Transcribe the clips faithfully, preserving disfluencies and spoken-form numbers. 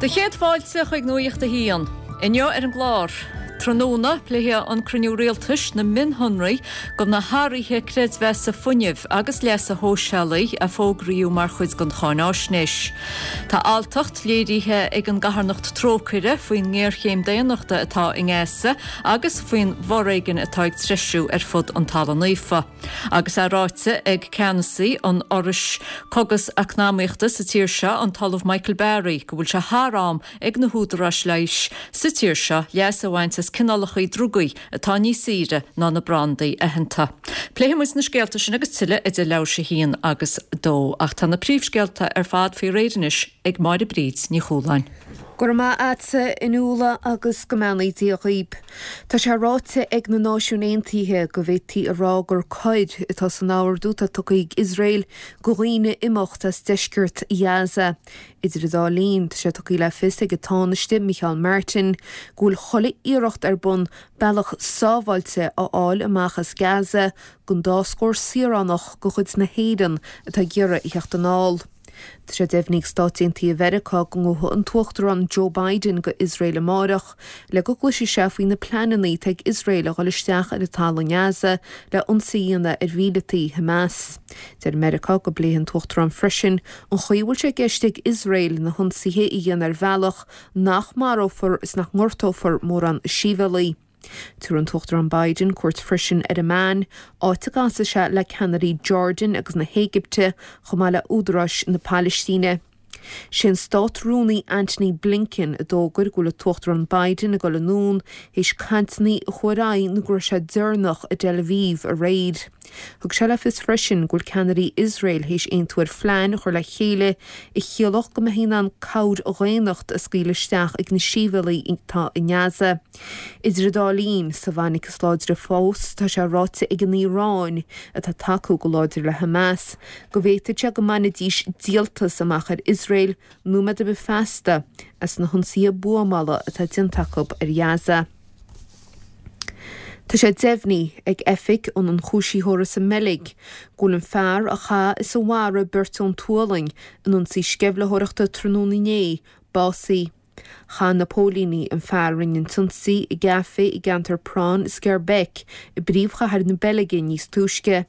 Do chéad fáilte chuig Nuacht a hAon. Inniu ar an gclár. Tráthnóna pléifidh an cruinniú rialtais na mionshonraí go na hathruithe creidmheasa fuinnimh agus leasa shóisialaigh a fógraíodh mar chuid den cháinaisnéis. Tá alltacht léirithe ag an gcarthanacht Trócaire faoin ngéarchéim daonnachta atá i nGaza agus faoin bhforéigean atá ag treisiú ar fud an Talamh Naofa. Agus é ráite ag ceannasaí an Fhorais Cógas Eacnamaíochta sa tír seo an tOllamh Michael Barry go bhfuil sé thar am ag na húdaráis leighis sa tír seo leas a bhaint as cineálacha drugaí atá níos saoire ná na brandaí aitheanta. Pléifimid na scéalta sin agus tuilleadh idir leathuair tar éis a haon agus dó, ach tá na príomhscéalta ar fad faoi réir anois ag Máire Bríd Ní Chualáin. Go raibh maith agat a Fhionnuala agus go mbeannaí Dia dhaoib. Tá sé ráite ag na Náisiúin Aontaithe go bhféadfaí a rá gur coir atá san ordú atá tugtha ag Iosrael go dhaoine imeacht as deisceart Ghaza. Idir an dá linn, tá sé tugtha le fios ag an Tánaiste Micheál Martin go bhfuil chuile iarracht ar bun bealach sábháilte a fháil amach as Gaza don dá scór saoránach de chuid na hÉireann atá ag iarraidh a theacht anall. Tá sé deimhnithe ag Stáit Aontaithe Mheiriceá go ngabhfaidh an tUachtarán Joe Biden go Iosrael amárach le go gcloisfidh sé faoi na pleananna atá ag Iosrael a dhul isteach ar an talamh i nGaza le ionsaí a dhéanamh ar mhíleataí Hamas. Deir Meiriceá go bpléifidh an tUachtarán freisin an chaoi a bhfuil sé i gceist ag Iosrael na hionsaithe a dhéanamh ar bhealach nach marófar is nach ngortófar mórán sibhialaigh. Tabharfaidh an tUachtarán Biden cuairt freisin ar Amman, áit a gcasfaidh sé le ceannairí Jordan agus na hÉigipte chomh maith le údaráis na Palaistíne. Sé an Stát-Rúnaí Antony Blinken a d'fhógair go bhfuil an tUachtarán Biden ag dul anonn théis cainteanna a chuaigh ar aghaidh nó go raibh sé deireanach i dTel Aviv aréir. Thug sé le fios freisin go bhfuil ceannairí Iosrael théis aontú ar phlean a chur le chéile a chiallódh go mbeifí in ann cabhair dhaonnachta a scaoileadh isteach ag na sibhialaigh atá i nGaza. Idir an dá linn, sa bhfainic is láidre fós, tá sé ráite ag an Iaráin, atá ag tacú go láidir le Hamas, go bhféadfadh sé go mbainfidís díoltas amach ar Iosrael nóiméad ar bith feasta as na hionsaithe buamála atá déanta acu ar Ghaza. Tá sé deimhnithe ag Oifig an Ionchúisitheora sa mBeilg go bhfuil an fear a chaith is a mharaigh beirt ón tSualainn in ionsaí sceimhlitheoireachta tráthnóna inné básaithe. Chaith na póilíní an fear a rinne an t-ionsaí i gcaifé i gceantar Praan Schaerbeek i bpríomhchathair na Beilge níos túisce.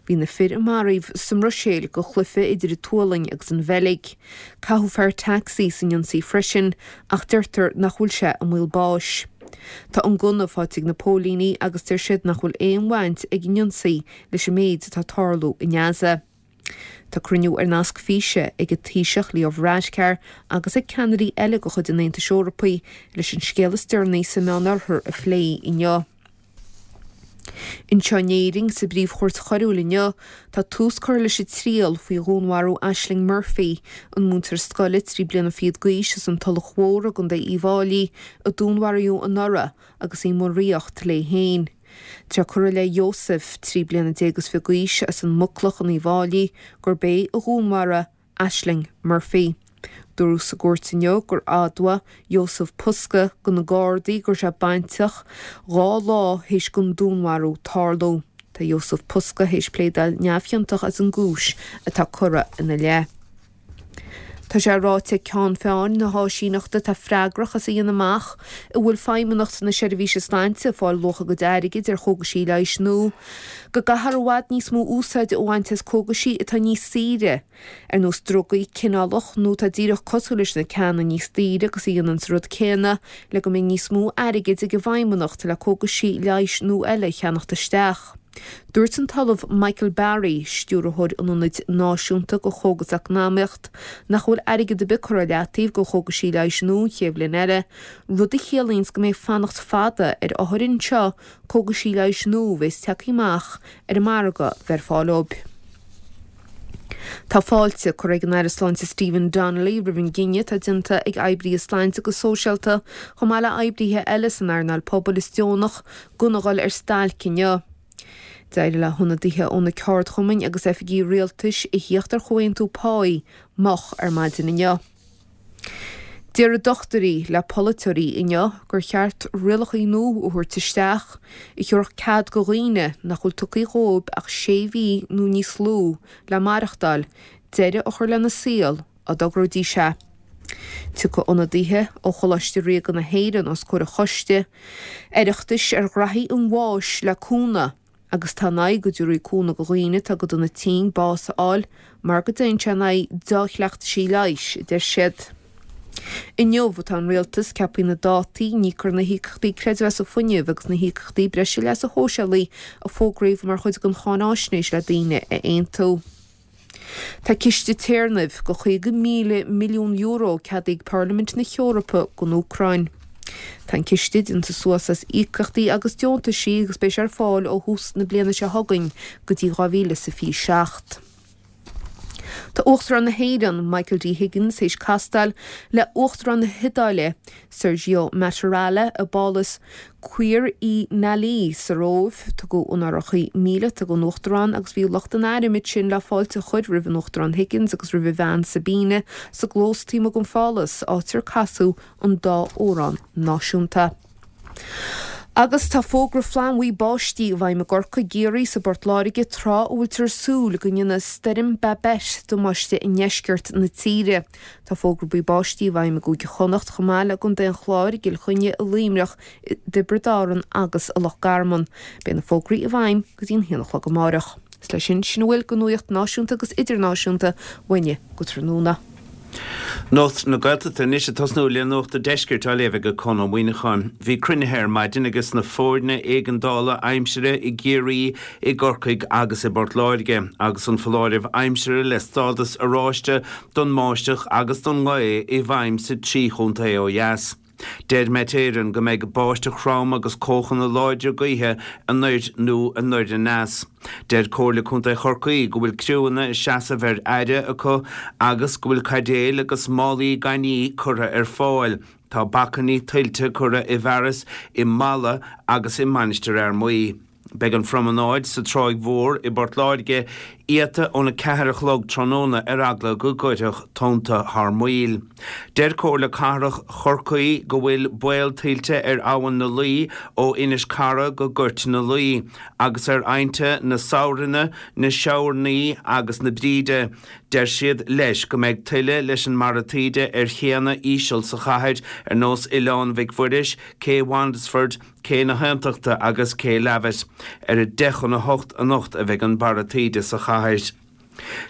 Bhí na fir a maraíodh sa mBruiséil go chluiche idir an tSualainn agus an Bheilg. Caitheadh fear tacsaí san ionsaí freisin ach deirtear nach bhfuil sé i mbaol báis. Tá an gunna faighte ag na póilíní agus deir siad nach bhfuil aon bhaint ag an ionsaí leis an méid atá ag tarlú i nGaza. Tá cruinniú ar nasc físe ag an Taoiseach Leo Varadkar agus ag ceannairí eile de chuid an Aontais Eorpaigh leis an scéal is deireanaí sa Meánoirthear a phlé inniu. Anseo in Éirinn, sa bPríomh-Chúirt Choiriúil inniu, tá tús curtha leis an triail faoi dhúnmharú Ashling Murphy, an múinteoir scoile trí bliana fichead d'aois as an Tulach Mhór i gContae Uíbh Fhailí, a dúnmharaíodh anuraidh agus í i mbun aoireachta léi féin. Tá curtha i leith Joseph, trí bliana déag is fiche d'aois, as an Muclach in Uíbh Fhailí, gurb é a dhúnmharaigh Ashling Murphy. Dúradh sa gcúirt inniu gur admhaigh Joseph Puska go na Gardaí go raibh sé bainteach dhá lá théis don dúnmharú tarlú. Tá Joseph Puska théis pléadáil neamhchiontach as an gcúis atá curtha ina leith. Tá sé ráite ag Ceann Feadhain na háisíneachta atá freagrach as a dhéanamh amach an bhfuil Feidhmeannacht na Seirbhíse Sláinte ag fáil luach a gcuid airgid ar chógaisí leighis nua, go gcaithfear i bhfad níos mó úsáid a bhaint as cógaisí atá níos saoire, ar nós drugaí cineálach nó atá díreach cosúil leis na ceanna níos daoire agus a dhéanann an rud céanna, le go mbeidh níos mó airgid ag an bhFeidhmeannacht le cógaisí leighis nua eile a cheannacht isteach. Dúirt an tOllamh Michael Barry, Stiúrthóir an Ionaid Náisiúnta do Chógaseacnamaíocht, nach bhfuil airgead ar bith curtha i leataobh do chógaisí leighis nua an chéad bhliain eile, rud a chiallaíonns go mbeidh fanacht fada ar othair anseo cógaisí leighis nua a bheas tagtha amach ar an margadh bheith ar fáil dóibh. Tá fáilte curtha ag an Aire Sláinte Stephen Donnelly roimh an gcinneadh atá déanta ag oibrithe sláinte agus sóisialta chomh maith le oibrithe eile san earnáil pobail is deonach gan a dhul ar stailc inniu. D'éirigh le hionadaithe ó na ceardchumainn agus oifigí rialtais a thíocht ar chomhaontú páí moch ar maidin inniu. Déarfaidh dochtúirí le polaiteoirí inniu gur cheart rialacha nua a thabhairt isteach a thabharfadh cead go dhaoine nach bhfuil tugtha dhóibh ach sé mhí nó níos lú le maireachtáil, deireadh a chur lena saol, dá dtogróidís é. Tiocfaidh ionadaithe ó Choláiste Ríoga na hÉireann os comhair an choiste Oireachtais ar ghraithí an bháis le cúnamh agus tá in aghaidh go dtabharfaí cúnamh do dhaoine atá go dona tinn bás a fháil mar go dtéann sé in aghaidh dea-chleachtaisí leighis, a deir siad. Inniu atá an rialtas ceaptha na dátaí a n-íocfar na híocaíochtaí creidmheasa fuinnimh agus na híocaíochtaí breise leasa shóisialaigh a fógraíodh mar chuid den cháináisnéis le daoine a aontú. Tá ciste téarnaimh de chaoga míle milliún euro ceadaithe ag Parlaimint na hEorpa don Úcráin. Tá an ciste déanta suas as íocaíochtaí agus deontaisí agus beidh sé ar fáil ó thús na bliana seo chugainn go dtí dhá mhíle is a fiche seacht. Tá Uachtarán na hÉireann, Michael D Higgins, théis castáil le Uachtarán na hIodáile, Sergio Mattarella, i bPálas Quirinale sa Róimh. Tugadh onóracha míleata don Uachtarán agus bhí lucht an airm ansin le fáilte a chur roimh an Uachtarán Higgins agus roimh a bhean Sabina sa gclós taobh amuigh den phálas, áit ar casadh an dá amhrán náisiúnta. Agus tá fógra flannbhuí báistí i bhfeidhm i gCorcaigh, i gCiarraí is i bPort Láirge tráth a bhfuiltear ag súil go ndéanfaidh Stoirm Babet damáiste i ndeisceart na tíre. Tá fógra buí báistí i bhfeidhm i gCúige Chonnacht chomh maith le i gContae an Chláir, i gCill Chainnigh, i Luimneach, i dTiobraid Árann agus i Loch Garman. Beidh na fógraí i bhfeidhm go dtí an haon a chlog amáireach. Is leis sin, sin a bhfuil de nuacht náisiúnta agus idirnáisiúnta uainne go tráthnóna. Nuacht na Gaeltachta anois ag tosnú le Nuacht an Deiscirt á léamh ag Conn Ó Muíneacháin. Bhí cruinnithe ar maidin ages na foirne éigeandála aimsire i gCiarraí, i gCorcaigh agus i bPort Láirge agus an foláireamh aimsire le stádas oráiste don mbáisteach agus don ngaoth i bhfeidhm sa trí chontae ó dheas. Deir Met Éireann go mbeidh báisteach throm agus cóchanna láidre gaoithe anoir nó anoir aneas. Deir Comhairle Contae Chorcaí go bhfuil criúnna ag seasamh ar aire acu agus go bhfuil caidéil agus málaí gainimh curtha ar fáil. Tá bacainní tuilte curtha i bhfearas i Mala agus i Mainistir Fhear Maí. Beidh an phromanáid sa Tráigh Mhór i bPort Láirge iata óna ceathair a chlog tráthnóna ar eagla go gcuirfeadh tonnta thar maoil. Deir Comhairle Cathrach Chorcaí go bhfuil baol tuilte ar Abhainn na Laoi ó Inis Cara go Gort na Laoi agus ar aibhnte na Sabhrainne, na Seabharnaí agus na Bríde. Deir siad leis go mbeidh tuile leis an mbarra taoide ar chéanna íseal sa chathair ar nós Oileán Mhic Mhuiris, Cé Wandesford, Cé na hAontachta agus Cé Lavitt. Ar a deich chun a hocht anocht a bheidh an barra taoide sa chathair.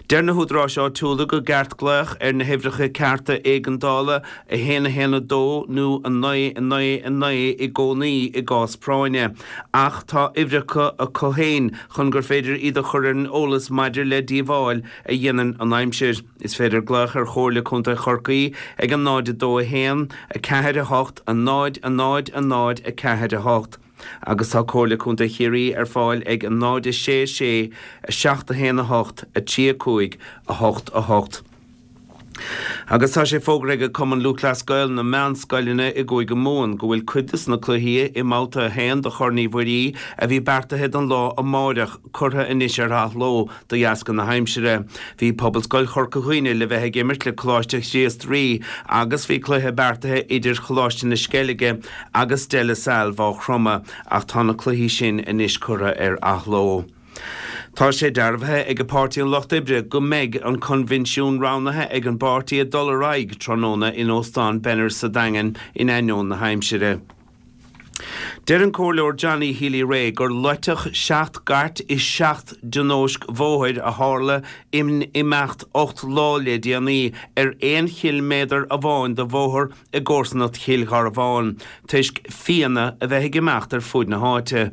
Deir na húdaráis áitiúla gur ceart glaoch ar na huimhreacha cearta éigeandála a haon a haon a dó nó a naoi a naoi a naoi i gcónaí i gcás práinne, ach tá uimhreacha acu féin chun gur féidir iad a chur ar an eolas maidir le díobháil a dhéanann an aimsir. Is féidir glaoch ar Chomhairle Contae Chorcaí ag a náid a dó a haon, a ceathair a hocht, a náid a náid a náid a ceathair a hocht agus tá Comhairle Contae Chiarraí ar fáil ag a náid a sé a sé, a seacht a haon a hocht, a trí a cúig, a hocht a hocht. Agus tá sé fógartha ag Cumann Lúthchleas Gael na meánscoileanna i gCúige Mumhan go bhfuil cuid de na cluichí i mbabhta a haon de Chorn Uí Mhuirí a bhí beartaithe don lá amáireach curtha anois ar athló de dheasca na haimsire. Bhí Pobalscoil Chorca Dhuibhne le bheith ag imirt le Coláiste Chríost Rí agus bhí cluiche beartaithe idir Choláiste na Sceilge agus De La Salle Mhaigh Chromtha ach tá na cluichí sin anois curtha ar athló. Tá sé dearbhaithe ag Páirtí an Lucht Oibre go mbeidh an coinbhinsiún roghnaithe ag an bpáirtí ag dul ar aghaidh tráthnóna in Óstán Benners sa Daingean in ainneoin na haimsire. Deir an Comhairleoir Johnny Healy-Rae gur loiteadh seacht gcairt i seacht dtionóisc bhóthair a tharla in imeacht ocht lá le déanaí ar aon chiliméadar amháin de bhóthar i gcomharsanacht Chill Gharbháin toisc fianna a bheith ag imeacht ar fuaid na háite.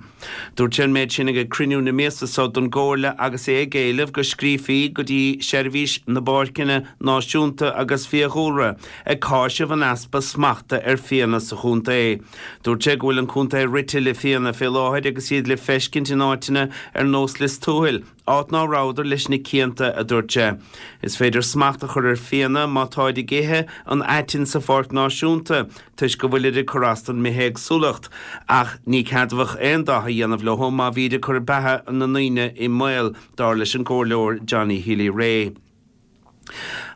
Dúirt sé an méid sin ag cruinniú na míosa seo don gComhairle agus é ag éileamh go scríofaí go dtí Seirbhís na bPáirceanna Náisiúnta agus Fiadhúlra ag cáiseamh an easpa smachta ar fianna sa chontae. Dúirt sé go bhfuil an contae rite le fianna fé láthair agus iad le feiscint in áiteanna ar nós Lios Tuathail, áit ná rabhadar leis na cianta, a dúirt sé. Is féidir smacht a chur ar fianna má táid ag ithe an aitinn sa Pháirc Náisiúnta toisc go bhfuilid ag cur as don mbithéagsúlacht, ach ní ceadmhach aon dath a dhéanamh leo má bhíd ag cur beatha na ndaoine i mbaol, dar leis an gComhairleoir Johnny Healy-Rae.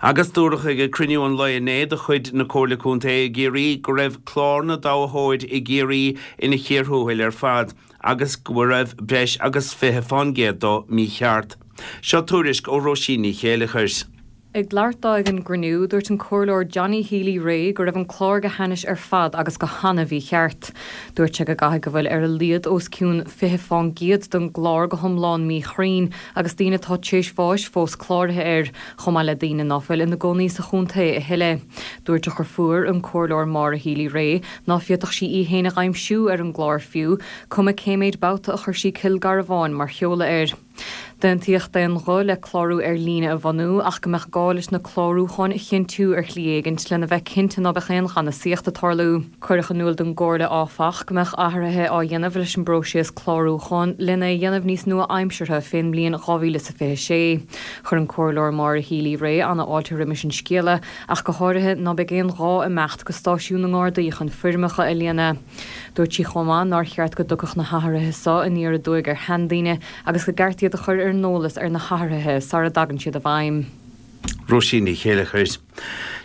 Agus dúradh ag cruinniú an lae inné de chuid na Comhairle Contae i gCiarraí go raibh clár na dtoghthóirí i gCiarraí ina chíor thuathail ar fad agus go raibh breis agus fiche fán gcéad dó mícheart. Seo tuairisc ó Róisín Ní Chéileachair. Ag labhairt dó ag an gcruinniú, dúirt an Comhairleoir Johnny Healy-Rae go raibh an clár go hainnis ar fad agus go han-mhícheart. Dúirt sé go gcaithfidh go bhfuil ar a laghad os cionn fiche faoin gcéad den gclár go hiomlán míchruinn agus daoine atá tar éis bháis fós cláraithe air, chomh maith le daoine ná fuil ina gcónaí sa chontae a thuilleadh. Dúirt a dheirfiúr, an Comhairleoir Maura Healy-Rae, ná féadfadh sí í féin a aimsiú ar an gclár fiú, cuma cé méid babhta a chuir sí Cill Garbháin mar sheoladh air. D'aontaíodh d'aon ghuth le clárú ar líne a bhunú ach go mbeadh gá leis na clárúcháin a chinntiú ar shlí éigin lena bheith cinnte ná beadh aon ghanfhiosacht ag tarlú. Cuireadh in iúl don gComhairle áfach go mbeadh athruithe á dhéanamh leis an bpróiseas clárúcháin lena dhéanamh níos nua-aimseartha fén mbliain dhá mhíle is a fiche sé. Chuir an Comhairleoir Maura Healy-Rae an-fháilte roimis an scéala ach go háirithe ná beidh aon ghá imeacht go stáisiún na nGardaí chun foirmeacha a líonadh. Dúirt sí chomh maith nár cheart go dtiocfadh na hathruithe seo aniar aduaidh ar sheandaoine agus go gceart iad a chur ar an eolas ar na hathruithe sara dtagann siad i bhfeidhm. Róisín Ní Chéilleachair.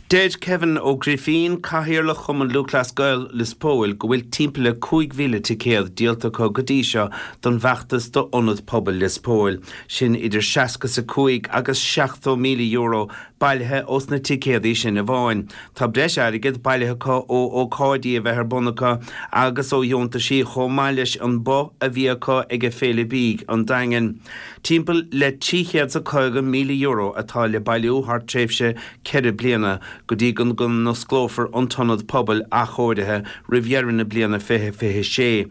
Deir Kevin Ó Grifín, Cathaoirleach Chumann Lúthchleas Gael Lios Póil, go bhfuil timpeall le cúig mhíle ticéad díolta acu go dtí seo don bhfeachtas d'Ionad Pobail Lios Póil. Sin idir seasca is a cúig agus seachtó míle euro bailithe ós na ticéadaí sin amháin. Tá breis airgid bailithe acu ó ócáidí a bheith ar bun acu agus ó dheontaisí chomh maith leis an both a bhí acu ag Féile Bídh an Daingin. Timpeall le trí chéad is caoga míle euro atá le bailiú thar tréimhse ceithre bliana go dtí go n-osclófar an t-ionad pobail athchóirithe roimh dheireadh na bliana fiche fiche sé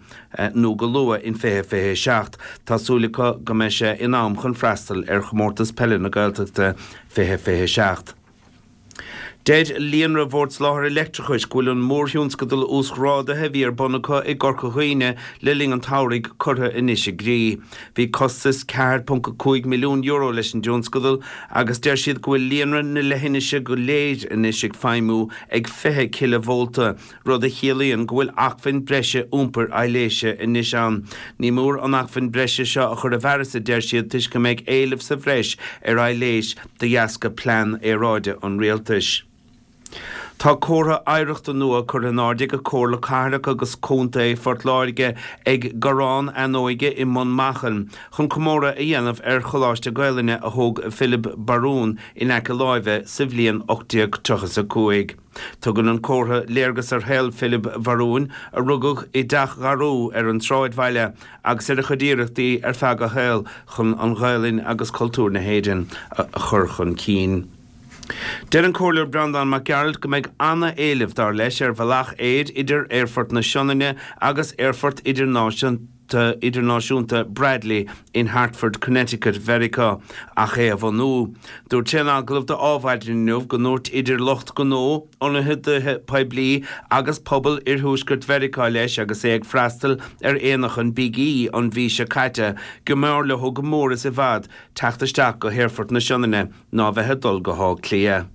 nó go luath in fiche fiche seacht. Tá súil acu go mbeidh sé in am chun freastal ar Chomórtas Peile na Gaeltachta fiche fiche seacht. Deir Líonra Bhord Soláthair Leictreachais go bhfuil an mórthionscadal uasghrádaithe a bhí ar bun acu i gCorca Dhuibhne le linn an tsamhraidh curtha anois i gcrích. Bhí costas ceathair ponc a cúig milliún euro leis an dtionscadal agus deir siad go bhfuil líonra na leithinise go léir anois ag feidhmiú ag fiche cileavólta, rud a chiallaíonn go bhfuil acmhainn breise iompair aibhléise anois ann. Ní mór an acmhainn breise seo a chur i bhfearas, a deir siad, toisc go mbeidh éileamh sa bhreis ar aibhléis de dheasca plean aeráide an rialtais. Tá comhartha oidhreachta nua curtha in airde ag Comhairle Cathrach agus Contae Phort Láirge ag Garrán Fheannóige i mBun Machan chun comóradh a dhéanamh ar Choláiste Gaelainne a thóg Philib Barún in aice láimhe sa bhliain ocht déag tríocha a cúig. Tugann an comhartha léargas ar shaol Philib Bharúin, a rugadh i dTeach Gharú ar an tsráidbhaile, agus ar a chuid iarrachtaí ar feadh a shaoil chun an Ghaelainn agus cultúr na hÉireann a chur chun cinn. Deir an Comhairleoir Breandán Mac Gearailt go mbeidh an-éileamh, dar leis, ar bhealach aeir idir Aerfort na Sionainne agus Aerfort Idirnáisiúnta Bradley in Hartford, Connecticut, Mheiriceá, ach é a bhunú. Dúirt sé in agallamh do Adhmhaidin inniu go ndúirt idir lucht gnó, ionadaithe poiblí agus pobal iarthuaisceart Mheiriceá leis agus é ag freastal ar aonach an Big E an mhí seo caite go mb'fhearr leo go mór is i bhfad teacht isteach go hAerfort na Sionainne ná bheith ag dul go hÁth Cliath.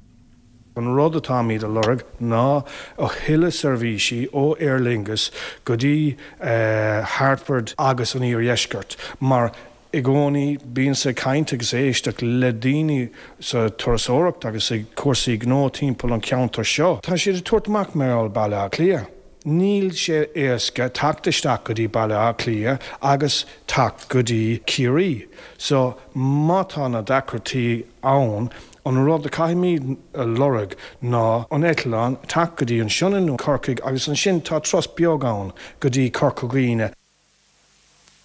An rud atáimid a lorg ná a thuilleadh seirbhísí ó Aer Lingus go dtí Hartford agus an Iardheisceart, mar i gcónaí bíonn ag caint agus éisteacht le daoine sa turasóireacht agus ag cúrsaí gnó timpeall an cheantair seo. Tá siad ag tabhairt amach mar gheall Baile Átha Cliath. Níl sé éasca teacht isteach go dtí Baile Átha Cliath agus teacht go dtí Ciarraí. So má tá na deacrachtaí ann, an rud a caithfimid a lorg ná an eitleán teacht go dtí an Sionainn nó Corcaigh agus ansin tá turas beag ann go dtí Corca Dhuibhne.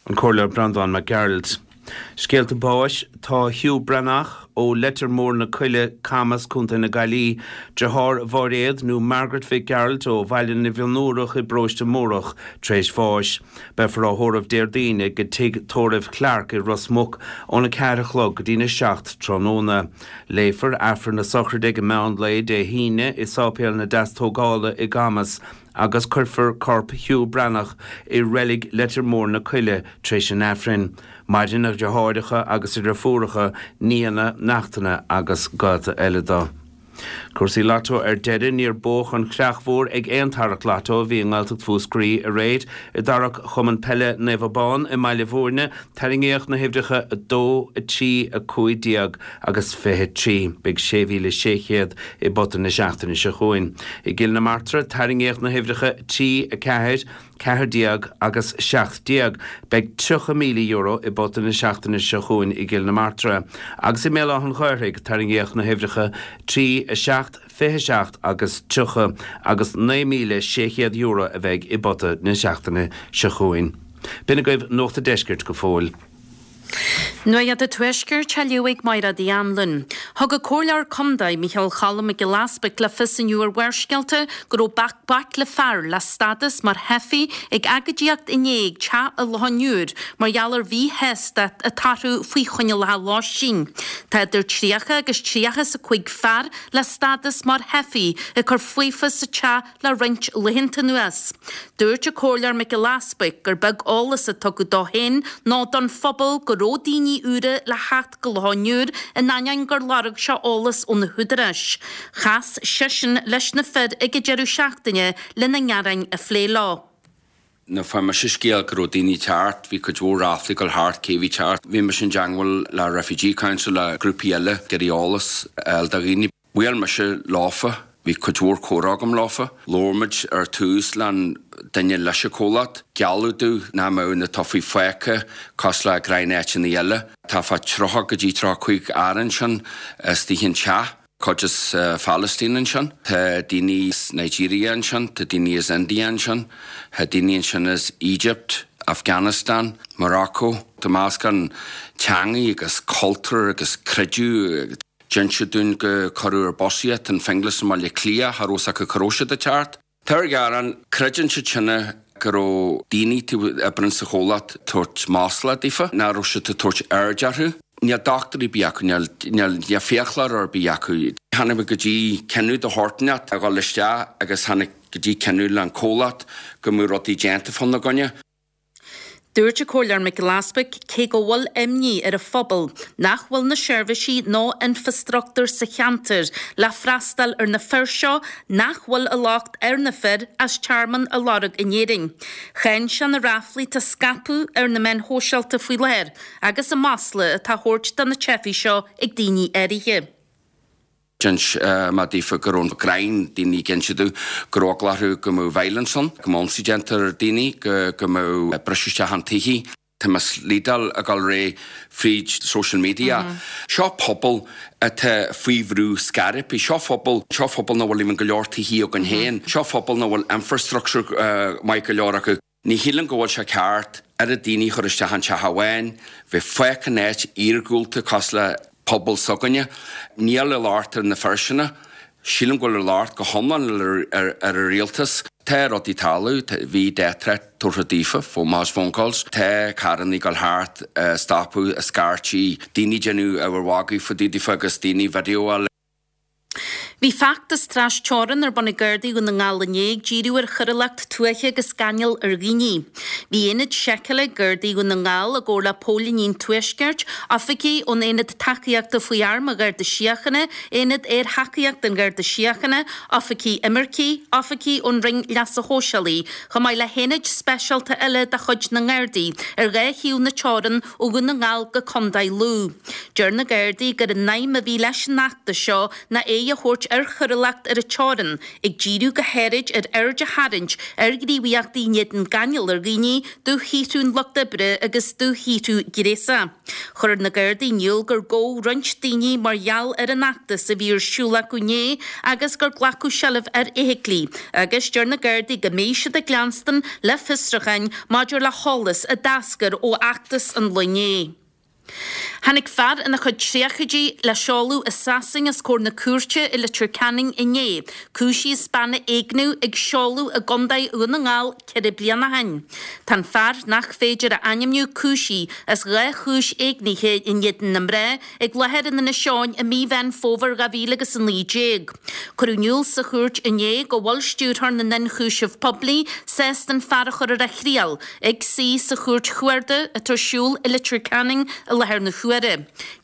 An Comhairleoir Breandán Mac Gearailt. Scéalta báis, Tá Hugh Breathnach ó Leitir Mór na Coille, Camas, Contae na Gaillimhe, deartháir Mháiréad nó Margaret Mhic Gearailt ó Bhaile na bhFionnúrach i bParóiste Mórdhach tar éis bháis. Beifear á thórramh Déardaoin ag Tigh Tórraimh Clarke i Ros Muc óna ceathair a chlog go dtína seacht tráthnóna. Léifear Aifreann na sochraide ag meán lae Dé hAoine i Sáipéal na Deastógála i gCamas agus cuirfear corp Hugh Breathnach i reilig Leitir Mór na Coille tar éis an Aifrinn. Maireann a dheartháireacha agus a dheirfiúracha, nianna, neachtanna agus gaolta eile dó. Cúrsaí Lotto ar deireadh, níor buadh an chreach mhór ag aon tarrac Lotto a bhí i nGaeltacht Mhúscraí aréir. I dtarrac Chumann Peile Naomh Abán i mBaile Bhúirne, tarraingíodh na huimhreacha a dó, a trí, a cúig déag agus fiche trí. Beidh sé mhíle sé chéad i bpota na seachtaine seo chugainn. I gCill na Martra, tarraingíodh na huimhreacha trí, a ceathair, ceathair déag agus seacht déag. Beidh tríocha míle euro i bpota na seachtaine seo chugainn i gCill na Martra. Agus i mBéal Átha an Ghaorthaidh, tarraingíodh na huimhreacha trí, a seacht, fiche seacht agus tríocha agus naoi míle sé chéad euro a bheidh i bpota na seachtaine seo chugainn. B'in agaibh Nuacht an Deiscirt go fóill. Nuacht an Tuaiscirt á léamh ag Máire Uí Anluain. Thug an Comhairleoir Contae Micheál Cholm Mac Giolla Easbuic le fios inniu ar Bharrscéalta go raibh baicle fear le stádas mar theifigh ag agóidíocht inné ag teach an Locháin Úir mar gheall ar mhíshástacht atá orthu faoi choinníollacha lóistín. Tá idir tríocha agus tríocha is a cúig fear le stádas mar theifigh ag cur faofa sa teach le roinnt laethanta anuas. Dúirt an Comhairleoir Mac Giolla Easbuic gur beag eolas a tugadh dó féin ná don phobal go raibh daoine úra le theacht go Loch an Iúir in ainneoin gur lorg sé eolas ó na húdaráis. Chas seisean leis na fir ag an deireadh seachtaine lena ngearáin a phlé leo. Nuair fuair mise scéal go raibh daoine teacht, bhí cuid mhór ráflaí ag dul thart cé bhí teacht. Bhí mise i dteangmháil le Refugee Council le grúpaí eile ag iarraidh eolas a fháil do dhaoine. Bhuail mise leofa, bhí cuid mhór comhrá agam leofa. Labhair muid ar tús le duine leis an chomhlacht. Gealladh domh nach mbeadh na teifigh fágtha cosúil le gnáth-áiteanna eile. Tá fá tríocha go dtí tríocha cúig fhear ansin istigh an teach. Cuid as Phalaistín ansin, tá daoine as Nigeria ansin, tá daoine as India ansin, tá daoine ansin as Egypt, Afghanistan, Morocco. Tá meascán teangaí agus cultúr agus creideamh. D'inseadh dúinn go cuireadh ar bus iad in Finglas i mBaile Átha Cliath, cha raibh fhios acu cá raibh siad ag teacht. Tá ar ghearán, creideann siad sin go raibh daoine a oibríonn sa chomhlacht ag tabhairt masla daofa, nach raibh siad ag tabhairt aird orthu. Níl dochtúir ar bith acu, níl níl fiaclóir ar bith acu. Tháinig muid go dtí cinneadh de shórt inteacht a dhul isteach agus tháinig go dtí cinneadh le an comhlacht go mbeadh rudaí déanta fána gcoinne. Dúirt an Comhairleoir Mac Giolla Easbuic cé go bhfuil imní ar an phobal nach bhfuil na seirbhísí nó infreastruchtúr sa cheantar le freastal ar na fir seo nach bhfuil a locht ar na fir as tearmann a lorg in Éirinn. Cháin sé na ráflaí atá scaipeadh ar na meáin shóisialta faoi láthair agus an masla atá á thabhairt do na teifigh seo ag daoine áirithe. D'inis mé daofa go raibh an greim daoine ag inse domh go raibh eagla orthu go mbeadh violence ann, go mbeadh ionsaí déanta ar daoine, go go mbeadh briseadh isteach an tithe. Tá misleading ag dul ar aghaidh fríd social media. Seo pobal atá faoi bhrú scairpí, seo phobal, seo phobal nach bhfuil even go leor tithe againn féin, seo phobal nach bhfuil infrastructure maith go leor acu. Ní shílim go bhfuil sé ceart oiread daoine a chur isteach in teach amháin, bheith fágtha in áit iargúlta cosúil le pobal s'againne. Níl a locht ar na fir sin. Sílim go bhfuil a locht go hiomlán ar ar an rialtas. Tá rudaí ag tarlú, bhí death threat tabhartha daofa, mass phone calls, tá carranna ag dul thart, ag stopadh, ag scairtigh, daoine ag déanamh ábhar magaidh fá dtaobh daofa agus daoine video-áil. Bhí feachtas trasteorann ar bun ag Gardaí Dhún na nGall inné ag díriú ar choiriúlacht tuaithe agus gáinneáil ar dhaoine. Bhí aonad seiceála ag Gardaí Dhún na nGall i gcomhar le Póilíní an Tuaiscirt, oifigigh ón Aonad Tacaíochta faoi Airm an Gharda Síochána, Aonad Aerthacaíochta an Gharda Síochána, oifigigh imirce, oifigigh ón Roinn Leasa Shóisialaigh, chomh maith le haonaid speisialta eile de chuid na nGardaí ar dhá thaobh na teorann ó Dhún na nGall go Contae Lú. Deir na Gardaí gur an aidhm a bhí leis an fheachtas seo ná aghaidh a thabhairt ar choiriúlacht ar an teorann, ag díriú go háirid ar aird a tharraingt ar ghníomhaíochtaí in éadan gáinneáil ar dhaoine, dúshaothrú an lucht oibre agus dúshaothrú gnéasach. Chuir na Gardaí in iúl gur gabhadh roinnt daoine mar gheall ar an fheachtas a bhí ar siúl acu inné agus gur glacadh seilbh ar fheithiclí agus deir na Gardaí go mbeidh siad ag leanstan le fiosrúcháin maidir le heolas a d'eascair ó fheachtas an lae inné. Tháinig fear ina chuid tríochaidí le seoladh i Sasain os comhair na cúirte i Leitir Ceanainn inné, cúisithe as bean a éigniú ag seoladh i gContae Dhún na nGall ceithre bliana ó shin. Tá an fear nach féidir a ainmniú cúisithe as dhá chúis éignithe in éadan na mná ag láthair in Inis Eoghain i mí Mheán Fómhair dhá mhíle agus a naoi déag. Cuireadh in iúl sa chúirt inné go bhfuil Stiúrthóir na nIonchúiseamh Poiblí sásta an fear a chur ar a thriail ag suí sa Chúirt Chuarda atá ar siúl i Leitir Ceanainn i láthair na huaire.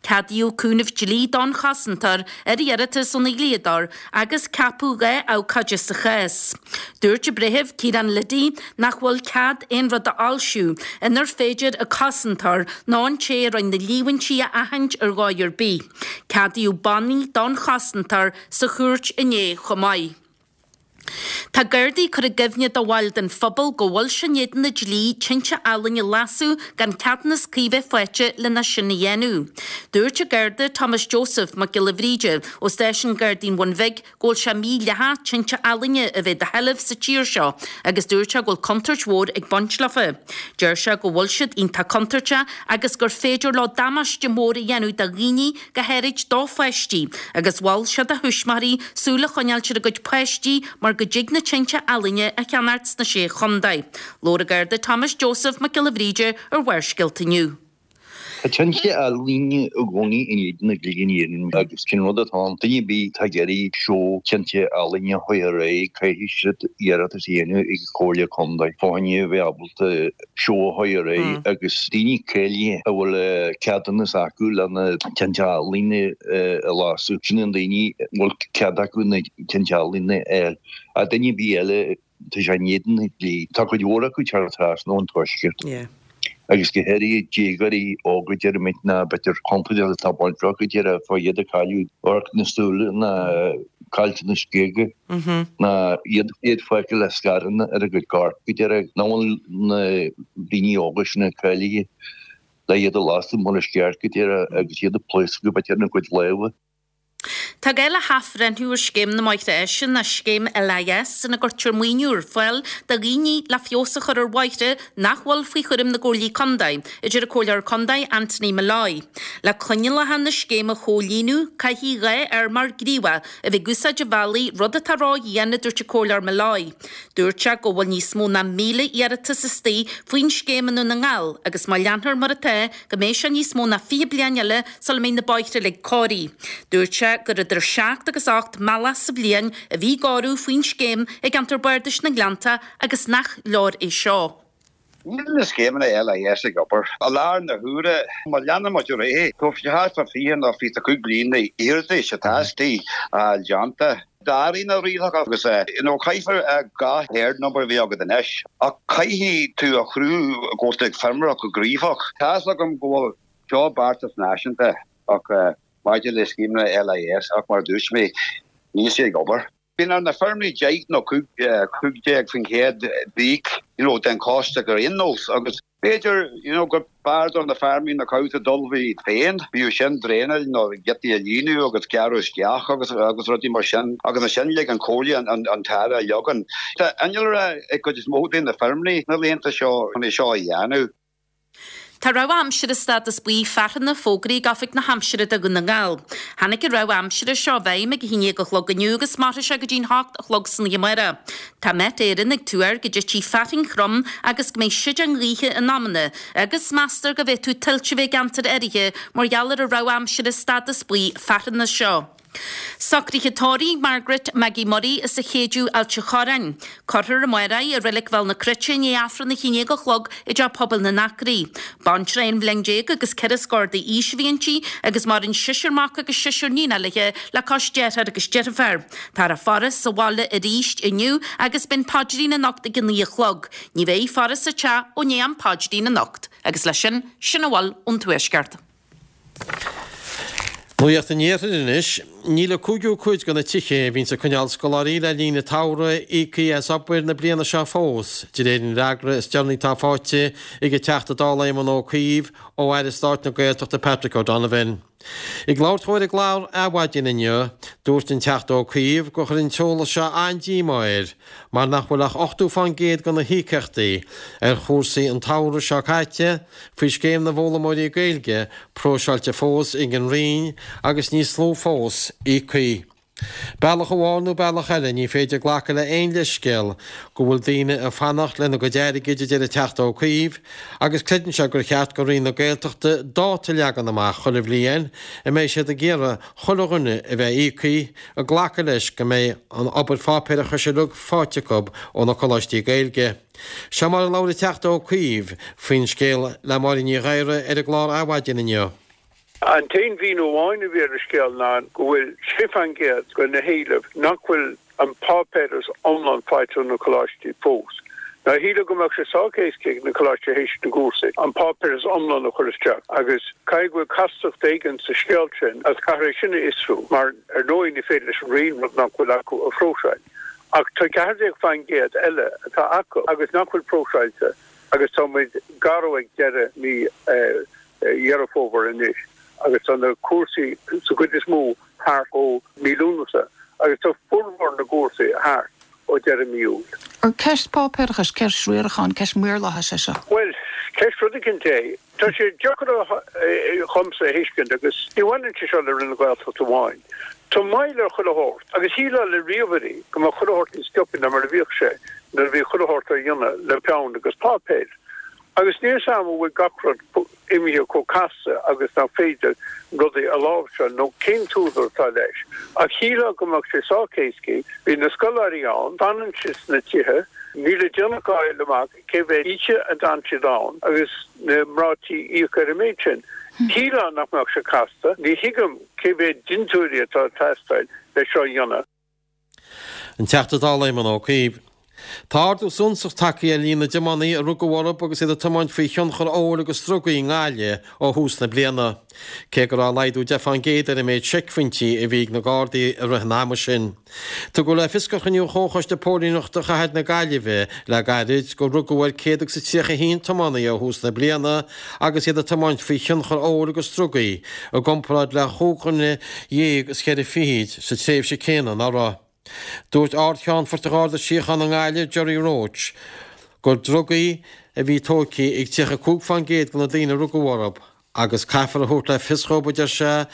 Ceadaíodh cúnamh dlí don chosantóir ar iarratas óna dhlíodóir agus ceapadh dhá abhcóide sa chás. Dúirt an Breitheamh Ciarán Liddy nach bhfuil cead aon rud a fhoilsiú inar féidir an cosantóir nó an té a rinne na líomhaintí a aithint ar dhóigh ar bith. Ceadaíodh bannaí don chosantóir sa chúirt inné chomh maith. Tá Gardaí ag cur i gcuimhne do bhaill den phobal go bhfuil sé in éadan an dlí tinte ealaíne a lasadh gan ceadúnas cuí bheith faighte lena sin a dhéanamh. Dúirt an Garda Thomas Joseph Mac Giolla Bhríde ó Stáisiún Gardaí an Bhun Bhig go bhfuil sé mídhleathach tinte ealaíne a bheith i do sheilbh sa tír seo agus dúirt sé go bhfuil contúirt mhór ag baint leofa. Deir sé go bhfuil siad iontach contúirteach agus gur féidir leo damáiste mór a dhéanamh do dhaoine, go háirid do pháistí, agus mhol sé do thuismitheoirí súil a choinneáilt ar a gcuid páistí mar go dtig na tinte ealaíne a cheannacht sna Sé Chontae. Labhair an Garda Thomas Joseph Mac Giolla Bhríde ar Bharrscéalta inniu. Tá tinte ealaíne i gcónaí in éadan an dlí in Éirinn agus sin rud atá ann. Duine ar bith atá ag iarraidh seó tinte ealaíne a chur ar aghaidh, caithfidh siad iarratas a dhéanamh ag an Chomhairle Contae fá choinne a bheith ábalta seó a chur ar aghaidh agus daoine cáilithe a bhfuil ceadúnas acu le na tinte ealaíne a lasadh, sin na daoine a bhfuil cead acu na tinte ealaíne a fháil. Ach duine ar bith eile, tá sé in éadan an dlí. Tá cuid mhór acu ag teacht trasna ón tuaisceart agus go háirithe déagóirí óga deirimid ná b'fhéidir contúirteach atá baint acu díreach fá iad ag cailleadh amharc na súile ná caillte na géaga ná iad iad fágtha le scaranna ar a gcuid coirp go díreach nach bhfuil na daoine óga sin cáilithe le iad a lasadh mar is ceart go díreach agus iad ag pléascadh b'fhéidir ina gcuid lámha. Tá gá le hathbhreithniú ar Scéim na mBóithre Áise nó Scéim LIS ina gcuirtear maoiniú ar fáil do dhaoine le feabhas a chur ar bhóithre nach bhfuil faoi chúram na gComhairlí Contae, a deir an Comhairleoir Contae Anthony Molloy. Le coinníollacha na scéime a chomhlíonadh, caithfidh dhá fheirmeoir gníomhach a bheith ag úsáid an bhealaigh, rud atá ró-dhian, a dúirt an Comhairleoir Molloy. Dúirt sé go bhfuil níos mó ná míle iarratas istigh faoin scéim i nDún na nGall agus má leanfar mar atá, go mbeidh sé níos mó ná fiche bliain eile sula mbeidh na bóithre uilig cóirithe. Dúirt sé gur idir seacht agus ocht mbealach sa bhliain a bhí ag cóiriú faoin scéim i gceantar Bardais na nGleannta agus nach leor é seo. Níl na scéimeanna LIS ag obair. I láthair na huaire, má leanann muid ar aghaidh, tá thart fá fiche nó fiche a cúig bliain d'iarratais atá istigh a fháil déanta. D'athraigh na rialacha agus you know caithfear dhá herd number a bheith agat anois ach caithfidh tú a chruthú go bhfuil tú ag feirmeoireacht go gníomhach. Tá's agam go bhfuil seo beartas náisiúnta ach maidir le scéimeanna LIS ach mar a dúirt mé níl sé ag obair. Bíonn ar na feirmeoirí deich nó cúig déag faoin gcéad d'íoc you know den chostas ar aon nós agus b'fhéidir you know gur b'fhearr do na feirmeoirí na cabhsa dul iad féin, bíodh sin draenáil nó giotaí a líonadh agus gearradh isteach agus agus rudaí mar sin agus ansin lig an chomhairle an an an t-aire a leagan. Tá innealra ag cuid is mó de na feirmeoirí na laethanta seo chun é seo a dhéanamh. Tá rabhadh aimsire stádas buí fearthainne fógraithe ag Oifig na hAimsire do Dhún na nGall. Tháinig an rabhadh aimsire seo i bhfeidhm ag a haon déag a chlog inniu agus mairfidh sé go dtí'n hocht a chlog san oíche amárach. Tá Met Éireann ag tuar go dtitfidh fearthainn throm agus go mbeidh séideán gaoithe in amanna agus meastar go bhféadfadh tuilte a bheith i gceantair áirithe mar gheall ar an rabhadh aimsire stádas buí fearthainne seo. Socruithe tórraimh Margaret Maggie Murray as an Chéideadh, Ailt an Chorráin. Cuirfear amárach í i Reilig Bhéal na Cruite i ndiaidh Aifreann a haon déag a chlog i dTeach Pobail na nAcraí. Baintreach aon bhliain déag agus ceithre scór d'aois a bhí inti agus maireann seisear mac agus seisear níon léi le cois dearthár agus deirféar. Táthar á faire sa bhaile arís inniu agus beidh an paidrín anocht ag a naoi a chlog. Ní bheidh faire sa teach ó ndiaidh an phaidrín anocht. Agus leis sin, sin a bhfuil ón Tuaisceart. Nuacht an Iarthair anois. Níl an cúigiú cuid de na tithe a bhíonns ag coinneáil scoláirí le linn an tsamhraidh íoctha as obair na bliana seo fós, de réir an fhreagra is deireanaí atá faighte ag an Teachta Dála Éamon Ó Cuív ó Aire Stáit na Gaeltachta Patrick O'Donovan. Ag labhairt dó ar an gclár Adhmhaidin inniu, dúirt an Teachta Ó Cuív gur chuir an t-eolas seo an-díomá air mar nach bhfuil ach ochtó fán gcéad de na híocaíochtaí ar chúrsaí an tsamhraidh seo caite faoi Scéim na bhFoghlaimeoirí Gaeilge próiseáilte fós ag an Roinn agus níos lú fós íoctha. Bealach amháin nó bealach eile, ní féidir glacadh le aon leithscéal go bhfuil daoine ag fanacht lena gcuid airgid, a deir an Teachta Ó Cuív, agus creideann sé gur cheart do Roinn na Gaeltachta dáta a leagan amach chuile bhliain a mbeidh siad ag iarraidh chuile dhuine a bheith íoctha, ag glacadh leis go mbeidh an obair pháipéarachais uilig faighte acu ó na coláistí Gaeilge. Seo mar a labhair an Teachta Ó Cuív faoin scéal le Máirín Ní Ghadhra ar an gclár Adhmhaidin inniu. An t-aon mhíniú amháin a bhí ar an scéal ná go bhfuil sé faoin gcéad de na héilimh nach bhfuil an páipéaras iomlán faighte ó na coláistí fós. Now shílfeá go mbeadh sé sách éasca ag na coláistí théis na gcúrsaí an páipéaras iomlán a chur isteach agus caithfidh go bhfuil castacht éigin sa scéal sin agus caithfear é sin a fhiosrú mar ar ndóigh ní féidir leis an Roinn rud nach bhfuil acu a phróiseáil. Ach tá ceathair déag faoin gcéad eile atá acu agus nach bhfuil próiseáilte agus tá muid gar ag deireadh mí Dheireadh Fómhair anois agus tá na cúrsaí sa gcuid is mó thart ó mí Lúnasa agus tá formhór na gcúrsaí thart ó deireadh mí Iúil. Ar ceist páipéarachais, ceist riaracháin, ceist maorlathais é seo? Bhuel, ceist rud éicint é. Tá sé deacair dhomsa a thuiscint agus ní bhaineann sé seo le Roinn na Gaeltachta amháin. Tá moill ar chuile shórt agus shílfeá le ríomhairí go mbeadh chuile shórt níos sciobtha ná mar a bhíodh sé nuair a bhí chuile shórt á dhéanamh le peann agus páipéar. Agus níl 'fhios a'm an bhfuil gach rud imithe chomh casta agus nach féidir rudaí a láimhseáil nó cén t-údar atá leis. Ach shílfeá go mbeadh sé sách éascaí. Bhí na scoláirí ann, fanann siad sna tithe, níl le déanamh ach a fháil amach cé mhéad oíche a d'fhan siad ann agus na mná tí íoc ar an méid sin. Shílfeá nach mbeadh sé casta. Ní thuigim cé mhéad dintiúirí atá ag teastáil le seo a dhéanamh. An Teachta Dála Éamon Ó Cuív. Tá ardú suntasach tagtha ar líon na dtiománaí a rugadh orthu agus iad ag tiomáint faoi thionchar óil agus drugaí i nGaillimh ó thús na bliana, cé go raibh laghdú deich fán gcéad ar an méid seicphointí a bhí ag na Gardaí i rith an ama sin. Tugadh le fios ag cruinniú Chomhchoiste Póilíneachta Chathair na Gaillimhe le gairid gur rugadh ar céad agus a tríocha a haon tiománaí ó thús na bliana agus iad ag tiomáint faoi thionchar óil agus drugaí, i gcomparáid le chúig dhuine dhéag is ceithre fichid sa tréimhse céanna anuraidh. Dúirt Ard-Cheannfort an Gharda Síochána i nGaillimh, Gerry Roche, gur drugaí a bhí tógtha ag tríocha cúig fán gcéad de na daoine a rugadh orthu agus caithfear a thabhairt le fios dhóibh, a deir sé,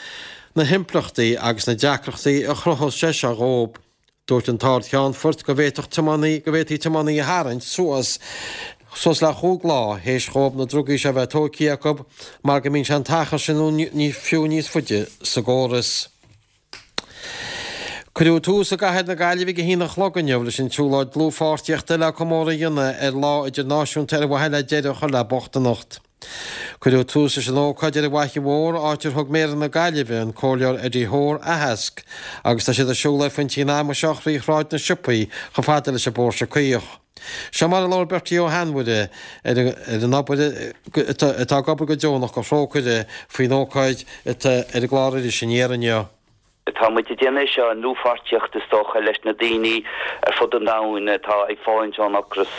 na himpleachtaí agus na deacrachtaí a chruthós sé seo dhóibh. Dúirt an tArd-Cheannfort go bhféadfadh tiománaí go bhféadfaí tiománaí a tharraingt suas suas le chúig lá théis dhóibh na drugaí seo a bheith tógtha acu mar go mbíonn sé an t-achar sin nó fiú níos faide sa gcóras. Cuireadh tús i gcathair na Gaillimhe ag a haon a chlog inniu leis an tsiúlóid dlúthpháirtíochta le comóradh a dhéanamh ar Lá Idirnáisiúnta ar mhaithe le deireadh a chur le bochtaineacht. Cuireadh tús leis an ócáid ar an bhFaiche Mhór, áit ar thug Méara na Gaillimhe, an Comhairleoir Eddie Hoare, aitheasc, agus tá siad ag siúl ar phointí an ama seo thrí Shráid na Siopaí chomh fada leis an bPóirse Caoch. Seo mar a labhair Bertie Ó hAinmhire ar an obair atá ag obair go deonach do Thrócaire faoin ócáid atá ar an gclár Iris Aniar inniu. Tá muid ag déanamh é seo i ndlúthpháirtíocht, is dócha, leis na daoine ar fud an domhain atá ag fulaingt ón ocras.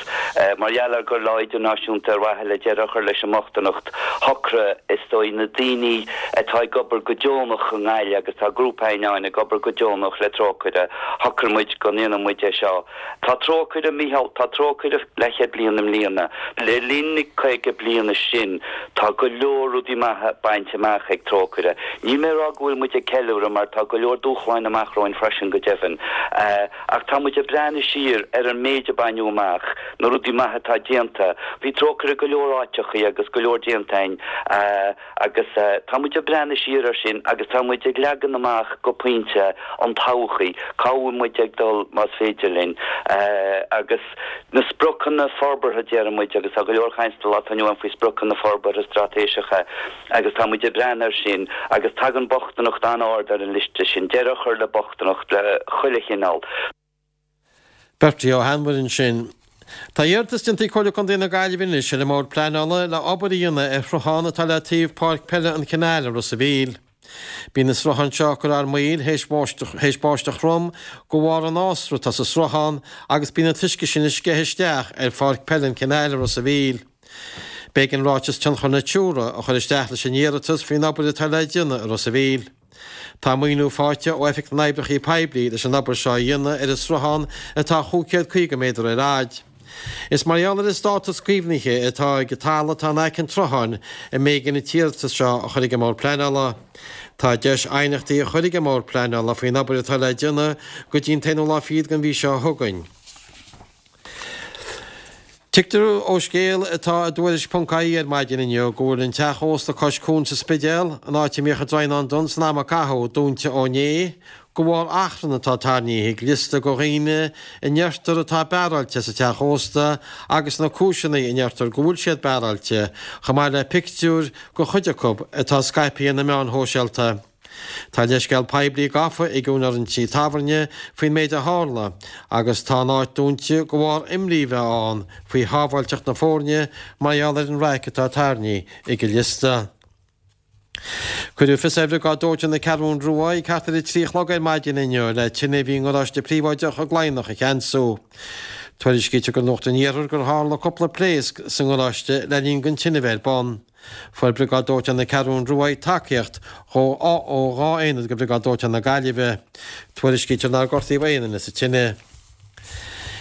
Mar gheall ar gur Lá Idirnáisiúnta ar mhaithe le deireadh a chur leis an mbochtaineacht, shocraigh, is dóigh, na daoine atá ag obair go deonach i nGaillimh, agus tá grúpa againn ann ag obair go deonach le Trócaire, shocraigh muid go ndéanfadh muid é seo. Tá Trócaire, Micheál, tá Trócaire leathchéad bliain i mbliana. Le linn na caoga bliana sin, tá go leor rudaí maithe bainte amach ag Trócaire. Níl mé ag rá go bhfuil muid ag ceiliúradh mar tá go leor dúshláin amach romhainn freisin, go deimhin. Ach tá muid ag breathnú siar ar an méid a baineadh amach, na rudaí maithe atá déanta. Bhí Trócaire go leor áiteachaí agus go leor déanta againn agus tá muid ag breathnú siar ar sin agus tá muid ag leagan amach go pointe an todhchaí, cá bhfuil muid ag dul más féidir linn agus na spriocanna forbartha déarfaidh muid agus tá go leor caint sa lá atá inniu ann faoi spriocanna forbartha straitéiseacha agus tá muid ag breathnú air sin agus tagann bochtaineacht an-ard ar an liosta sin, deireadh a chur le bochtaineacht de chuile chineál. Bertie Ó hAinmhire ansin. Tá iarratas déanta ag Comhairle Contae na Gaillimhe anois ar an mBord Pleanála le obair a dhéanamh ar shruthán atá le taobh Páirc Peile an Chanáil i Ros a' Mhíl. Bíonn an sruthán seo ag cur armaoil théis báisteach throm de bharr an fhásra atá sa sruthán agus bíonn an t-uisce sin ag sceitheadh isteach ar Pháirc Peile an Chanáil i Ros a' Mhíl. B'éigean ráiteas tionchair Natura a chur isteach leis an iarratas faoin obair atá le déanamh i Ros a' Mhíl. Tá maoiniú faighte ó Oifig na nOibreacha Poiblí leis an obair seo a dhéanamh ar an sruthán atá chúig chéad caoga méadar ar fhaid. Is mar gheall ar an státas caomhnaithe atá ag an talamh atá in aice an tsrutháin a mb'éigean an t-iarratas seo a chur ag an mBord Pleanála. Tá deis aighneachtaí a chur ag an mBord Pleanála faoin obair atá le déanamh go dtí an t-aonú lá fichead den mhí seo chugainn. Tuigtear ó scéal atá i dTuairisc ponc ie ar maidin inniu go bhfuil an teach ósta cois cuain sa Spidéal, an áit a mbíodh an Draighneán Donn san am a caitheadh, dúnta ó inné, de bharr achrann atá tarraingthe ag liosta de dhaoine a ndeirtear atá bearáilte sa teach ósta agus na cúiseanna a ndeirtear go bhfuil siad bearáilte, chomh maith le pictiúir de chuid acu atá scaipthe ar na meáin shóisialta. Tá leithscéal poiblí gafa ag úinéir an tí tábhairne faoin méid a tharla agus tá an áit dúnta de bharr imní a bheith ann faoi shábháilteacht na foirne mar gheall ar an raic atá tarraingthe ag an liosta. Cuireadh fios ar Bhriogáid Dóiteáin na Ceathrún Rua ag thart ar a trí a chlog ar maidin inniu le tine a bhí i ngaráiste príobháideach i gCladhnach a cheansú. Tuairiscítear do Nuacht an Iarthair gur tharla cúpla pléasc sa ngaráiste le linn don tine bheith ar bun. Fuair Briogáid Dóiteáin na Ceathrún Rua tacaíocht ó dhá aonad de Bhriogáid Dóiteáin na Gaillimhe. Tuairiscítear nár gortaíodh aon duine sa tine.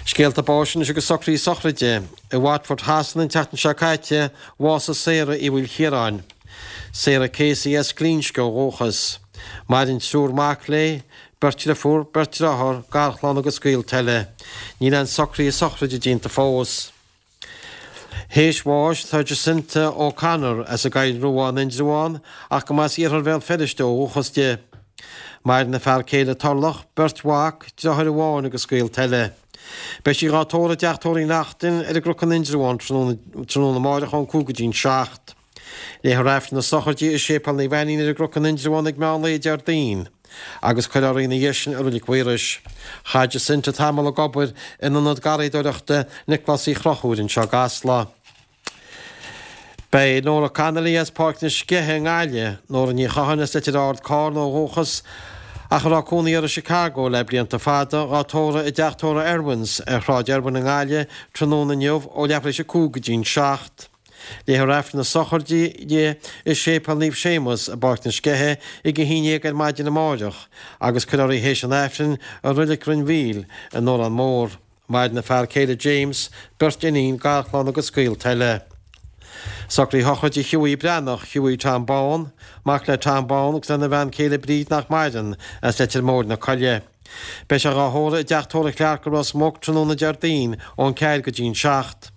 Scéalta báis anois agus socruithe sochraide. I Watford Shasana an tseachtain seo caite, bhásaigh Sarah Uí Mhaoilchiaráin. Sarah Casey as Glinsce ó dhúchas. Maireann triúr mac léi, beirt deirfiúr, beirt dearthár, garchlann agus gaolta eile. Níl aon socruithe sochraide déanta fós. Théis bháis tá Jacinta O'Connor as an gCoill Rua in Indreabhán ach go mba as iarthar Bhéal Feirste ó dhúchas di. Maireann a fear céile Turlough, beirt mhac, deartháir amháin agus gaolta eile. Beidh sí dhá tórramh i dTeach Tórraimh Uí Neachtain ar an gCnoc in Indreabhán tráthnóna amáireach ón cúig go dtí'n seacht. Léifear Aifreann na sochraide i Séipéal Naomh Ainnín ar an gCnoc in Indreabhán ag meán lae Déardaoin agus cuirfear í ina dhiaidh sin i Reilig Mhaorais. Chaith Jacinta tamall ag obair in ionad garraíodóireachta Nioclás Uí Chonchúir anseo i gCasla. Beidh Nora Connolly as Páirc na Sceiche i nGaillimh, Nóra Ní Chatháin as Leitir Ard Carna ó dhúchas, ach a raibh cónaí uirthi i Chicago le blianta fada, dhá tórramh i dTeach Tórraimh Irwin's ar Shráid Irwin i nGaillimh tráthnóna inniu ó leathuair tar éis a cúig go dtí'n seacht. Léifear Aifreann na sochraide di i Séipéal Naomh Séamus i bPáirc na Sceiche ag a haon déag ar maidin amáireach agus cuirfear í théis an Aifrinn i Reilig Rinn Mhíl i nDorán Mór. Maireann a fear céile James, beirt iníon, garchlann agus gaolta eile. Socruithe sochraide Hughie Breathnach, Hughie Tom Bán, mac le Tom Bán agus lena bhean chéile Bríd nach maireann, as Leitir Móir na Coille. Beidh sé dhá thórramh i dTeach Tórraimh Clarke i Ros Muc tráthnóna Déardaoin ón ceathair go dtí'n seacht.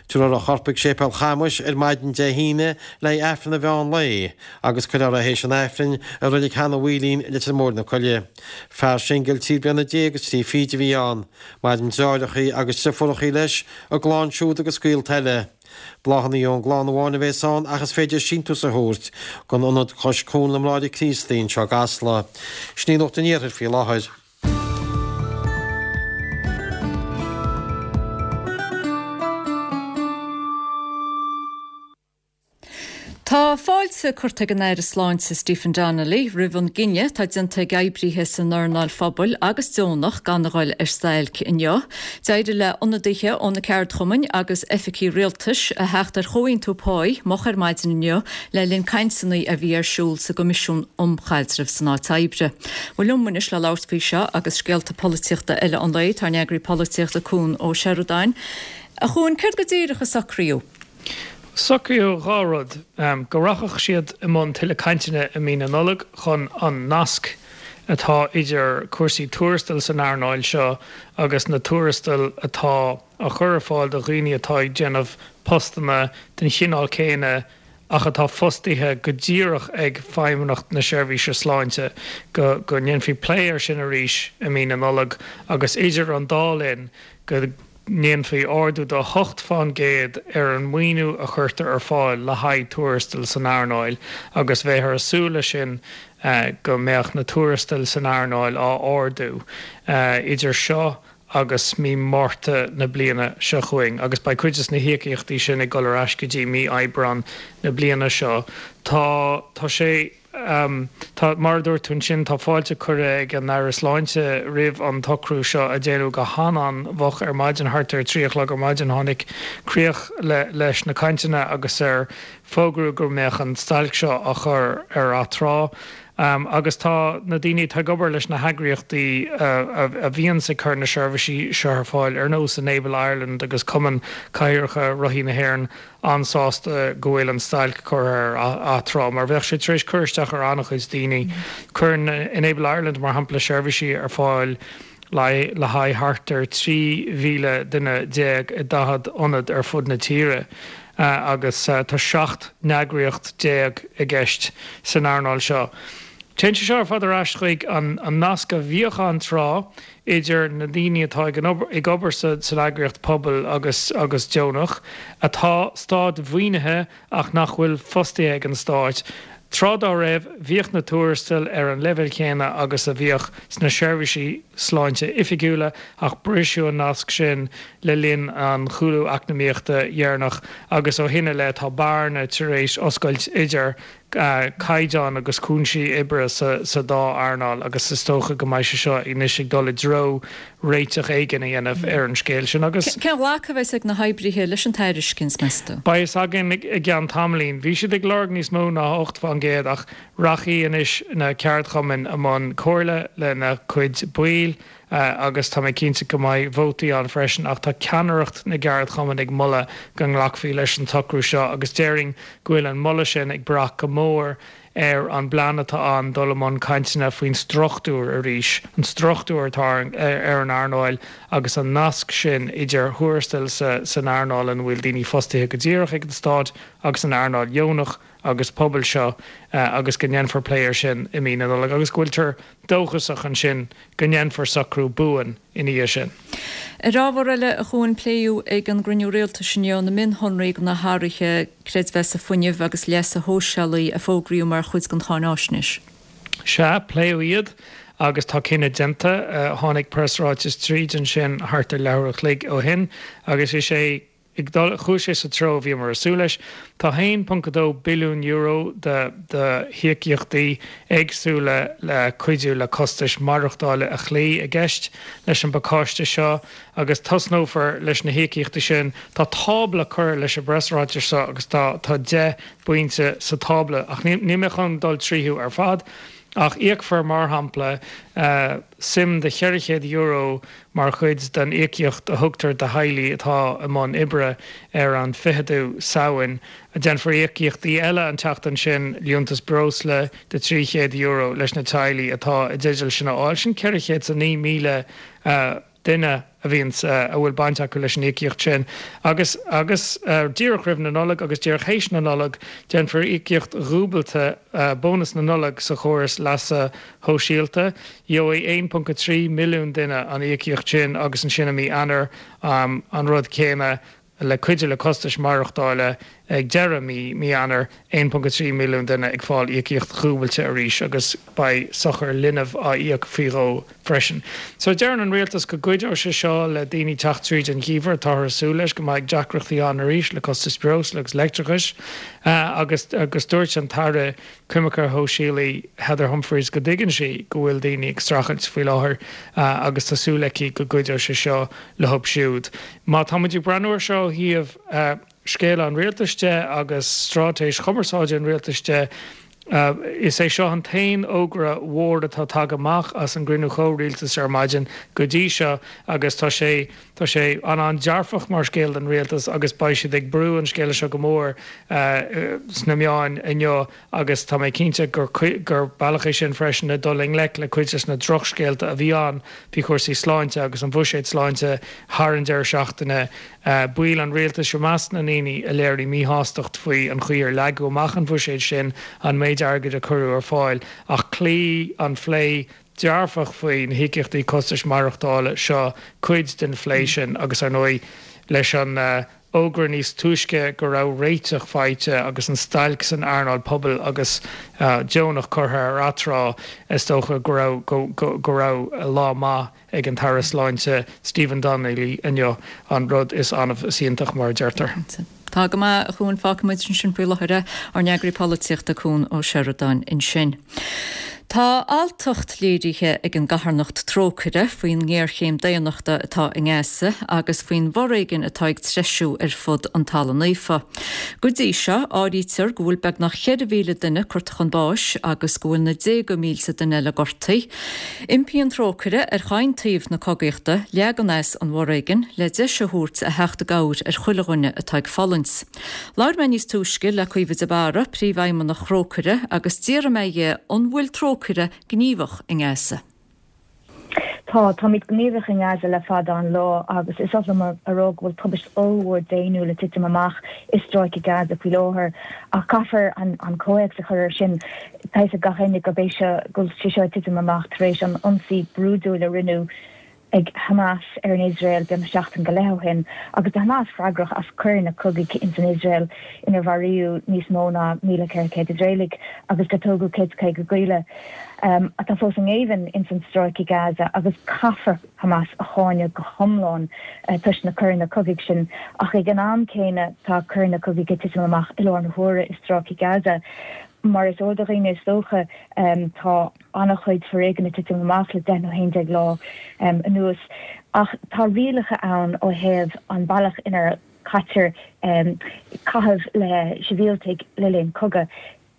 Tabharfar a chorp chuig Séipéal Chamuis ar maidin Dé hAoine le haghaidh Aifreann an mheán lae agus cuirfear é théis an Aifrinn i Reilig Sheanadh Mhaoilín i Leitir Móir na Coille. Fear singil trí bliana déag agus trí fichid a bhí ann. Maireann deartháireachaí agus deirfiúrachaí leis, a gclann siúd agus gaolta eile. Bláthanna ón gclann amháin a bhéas ann ach is féidir síntiús a thabhairt don Ionad Cois Cuain na mBráithre Críostaí anseo i gCasla. Sin í Nuacht an Iarthair faoi láthair. Tá fáilte curtha ag an Aire Sláinte Stephen Donnelly roimh an gcinneadh atá déanta ag oibrithe san earnáil phobail agus deonach gan a dhul ar stailc inniu. D'éirigh le ionadaithe ó na ceardchumainn agus oifigí rialtais a theacht ar chomhaontú páí moch ar maidin inniu le linn cainteanna a bhí ar siúl sa gCoimisiún um Chaidreamh san Áit Oibre. Bhuel liom anois le labhairt faoi seo agus scéalta polaitíochta eile an lae tá ár n-eagraí polaitíochta Cuan Ó Seireadáin. A Chuain, céard go díreach a socraíodh? Socraíodh dhá rud, go rachadh siad i mbun tuilleadh cainteanna i mí na Nollag chun an nasc atá idir cúrsaí tuarastail san earnáil seo agus na tuarastail atá á chur ar fáil do dhaoine atá ag déanamh postanna den chineál céanna ach atá fostaithe go díreach ag Feidhmeannacht na Seirbhíse Sláinte, go ndéanfaí plé air sin arís i mí na Nollag agus idir an dá linn go ndéanfaí ardú de hocht fán gcéad ar an maoiniú a chuirtear ar fáil le haghaidh tuarastail san earnáil agus bheifear ag súil leis sin go mbeadh na tuarastail san earnáil á ardú idir seo agus mí Márta na bliana seo chugainn agus beidh cuid de na híocaíochtaí sin ag dul ar ais go dtí mí Aibreán na bliana seo. Tá tá sé. Tá, mar a dúirt tú ansin, tá fáilte curtha ag an Aire Sláinte roimh an tsocrú seo a déanadh go han-an-mhoch ar maidin, thart ar a trí a chlog ar maidin tháinig críoch leis na cainteanna agus ar fógraíodh go mbeadh an stailc seo á chur ar atráth. Agus tá na daoine atá ag obair leis na heagraíochtaí a bhíonns ag cur na seirbhísí seo ar fáil, ar nós Enable Ireland agus Cumann Cathaoireacha Rothaí na hÉireann, an-sásta go bhfuil an stailc curtha ar atráth, mar bheadh sé tar éis cur isteach ar an-chuid daoine. Cuireann Enable Ireland, mar shampla, seirbhísí ar fáil le haghaidh thart ar trí mhíle duine déag i daichead ionad ar fud na tíre agus tá seacht n-eagraíocht déag i gceist san earnáil seo. Téann sé seo ar fad ar ais chuig an nasc a bhíodh ann tráth idir na daoine atá ag obair san eagraíocht pobail agus agus deonach, atá stát-mhaoinithe ach nach bhfuil fostaithe ag an stáit. Tráth dá raibh, bhíodh na tuarastail ar an leibhéal chéanna agus a bhíodh sna seirbhísí sláinte oifigiúla ach briseadh an nasc sin le linn an chúlú eacnamaíochta dheireanach agus ó shin i leith tá bearna tar éis oscailt idir caighdeán agus cúinsí oibre sa dá earnáil agus is dócha go mbeidh sé seo anois ag dul i dtreo réiteach éigin a dhéanamh ar an scéal sin agus. Cén ghlacadh a bheas ag na hoibrithe leis an tairiscint, meas tú? Beidh fhios againn i gceann tamaillín. Bhí siad ag lorg níos mó ná ocht fán gcéad ach rachaidh anois na ceardchumainn i mbun comhairle lena gcuid baill agus tá mé cinnte go mbeidh vótaí ann freisin ach tá ceannaireacht na gceardchumann ag moladh go nglacfaí leis an tsocrú seo agus déarfainn go bhfuil an moladh sin ag brath go mór ar an bplean atá ann dul i mbun cainteanna faoin struchtúr arís, an struchtúr atá ar an earnáil agus an nasc sin idir thuarastail san earnáil ina bhfuil daoine fostaithe go díreach ag an stát agus an earnáil dheonach agus pobail seo agus go ndéanfar plé air sin i mí na Nollag agus go bhfuiltear dóchasach ansin go ndéanfar socrú buan ina dhiaidh sin. Ar ábhar eile, a Chuain, pléadh ag an gcruinniú rialtais inniu na mionshonraí de na hathruithe creidmheasa fuinnimh agus leasa shóisialaigh a fógraíodh mar chuid den cháináisnéis. Sea, pléadh iad agus tá cinneadh déanta. Tháinig preasráiteas tríd ansin thart ar leathuair a chloig ó shin agus is é ag dul, chuaigh sé sa treo a bhíomar ag súil leis. Tá a haon ponc a dó billiún euro de d'íocaíochtaí éagsúla le cuidiú le costais maireachtála a chloí i gceist leis an bpacáiste seo agus tosnófar leis na híocaíochtaí sin. Tá tábla curtha leis an bpreasráiteas seo agus tá tá deich bpointe sa tábla ach níl mé chun dul tríothu ar fad. Ach íocfar, mar shampla, suim de cheithre chéad euro mar chuid den íocaíocht a thugtar do theaghlaigh atá i mbun oibre ar an ficheadú Samhain. Déanfar íocaíochtaí eile an tseachtain sin, liúntas breosla de trí chéad euro leis na teaghlaigh atá i dteideal sin a fháil. Sin ceithre chéad is a naoi míle duine a bhíonns, a bhfuil baint acu leis an íocaíocht sin. Agus, agus díreach roimh na Nollag agus díreach théis na Nollag, déanfar íocaíocht dhúbailte, bónas na Nollag, sa chóras leasa shóisialta. Gheobhaidh aon ponc a trí milliún duine an íocaíocht sin agus ansin i mí Eanáir an rud céanna le cuidiú le costais maireachtála ag deireadh mí mí Eanáir, aon ponc a trí milliún duine ag fáil íocaíocht dhúbailte arís agus beidh sochar linbh á íoc faoi dhó freisin. So deireann an rialtas go gcuideoidh sé seo le daoine teacht tríd an gheimhreadh. Táthar ag súil leis go mbeidh deacrachtaí ann arís le costais breosla agus leictreachais agus agus dúirt an tAire Coimirce Shóisialaí Heather Humphreys go dtuigeann sí go bhfuil daoine ag streachailt faoi láthair agus tá súil aici go gcuideoidh sé seo leo siúd. Má tá muid ag breathnú air seo ó thaobh scéala an rialtais de agus straitéis chumarsáide an rialtais de, is é seo an t-aon fhógra mhór atá tagtha amach as an gcruinniú comhrialtais ar maidin go dtí seo agus tá sé Tá sé an-an-dearfach mar scéal don rialtas agus beidh siad ag brú an scéala seo go mór sna meáin inniu agus tá mé cinnte gur gur bealach é sin freisin le dul i ngleic le cuid des na drochscéalta a bhí ann faoi chúrsaí sláinte agus an bhuiséad sláinte thar an deireadh seachtaine. Baill an rialtais i measc na ndaoine a léirigh míshástacht faoi an chaoi ar leagadh amach an bhuiséad sin, an méid airgid a cuireadh ar fáil ach chloígh an phlé dearfach faoi na híocaíochtaí costais maireachtála seo cuid den phlé sin agus, ar ndóigh, leis an fhógra níos túisce go raibh réiteach faighte agus an stailc san earnáil pobail agus deonach curtha ar atráth, is dócha go raibh go raibh lá maith ag an tAire Sláinte Stephen Donnelly inniu, an rud is annamh is iontach, mar a deirtear. Tá go maith, a Chuain. Fágfaidh muid ansin faoi láthair é. Ár n-eagraí polaitíochta, Cuan Ó Seireadáin ansin. Tá alltacht léirithe ag an gcarthanacht Trócaire faoin ngéarchéim daonnachta atá i nGaza agus faoin bhforéigean atá ag treisiú ar fud an Talamh Naofa. Go dtí seo, áirítear go bhfuil beagnach ceithre mhíle duine curtha chun báis agus go bhfuil na déaga mílte duine eile gortaithe. Impíonn Trócaire ar chaon taobh na cogaíochta leagan as an bhforéigean le deis a thabhairt a theacht i gcabhair ar chuile dhuine atá ag fulaingt. Labhair mé níos túisce le Caoimhe de Barra, Príomhfheidhmeannach Thrócaire, agus d'fhiafraigh mé dhe an bhfuil Trócaire gníomhach i nGaza. Tá, táimid gníomhach i nGaza le fada an lá agus is oth liom a rá go bhfuil tubaist ollmhór daonnúil ag titim amach i Stráice Gaza faoi láthair ach caithfear an comhthéacs a chur air sin. Tá fhios ag gach éinne gurb é seo, go bhfuil sé seo ag titim amach tar éis an ionsaí brúidiúil a rinneadh ag Hamas ar an Iosrael beagnach seachtain go leith ó shin, agus tá Hamas freagrach as coireanna cogaidh ins an Iosrael inar mharaíodh níos mó ná míle ceithre chéad Iosraelaigh agus gur tógadh céad is caoga gialla atá fós i ngéibheann ins an stráice Gaza agus caithfear Hamas a cháineadh go hiomlán toisc na coireanna cogaidh sin ach ag an am céanna tá coireanna cogaidh ag titim amach i láthair na huaire i stráice Gaza. Mar is eol do dhaoine is dócha, tá an-chuid foréigin ag titim amach le deich nó haon déag lá anuas. Ach tá rialacha ann ó thaobh an bealach inar caitear caitheamh le sibhialtaigh le linn cogaidh.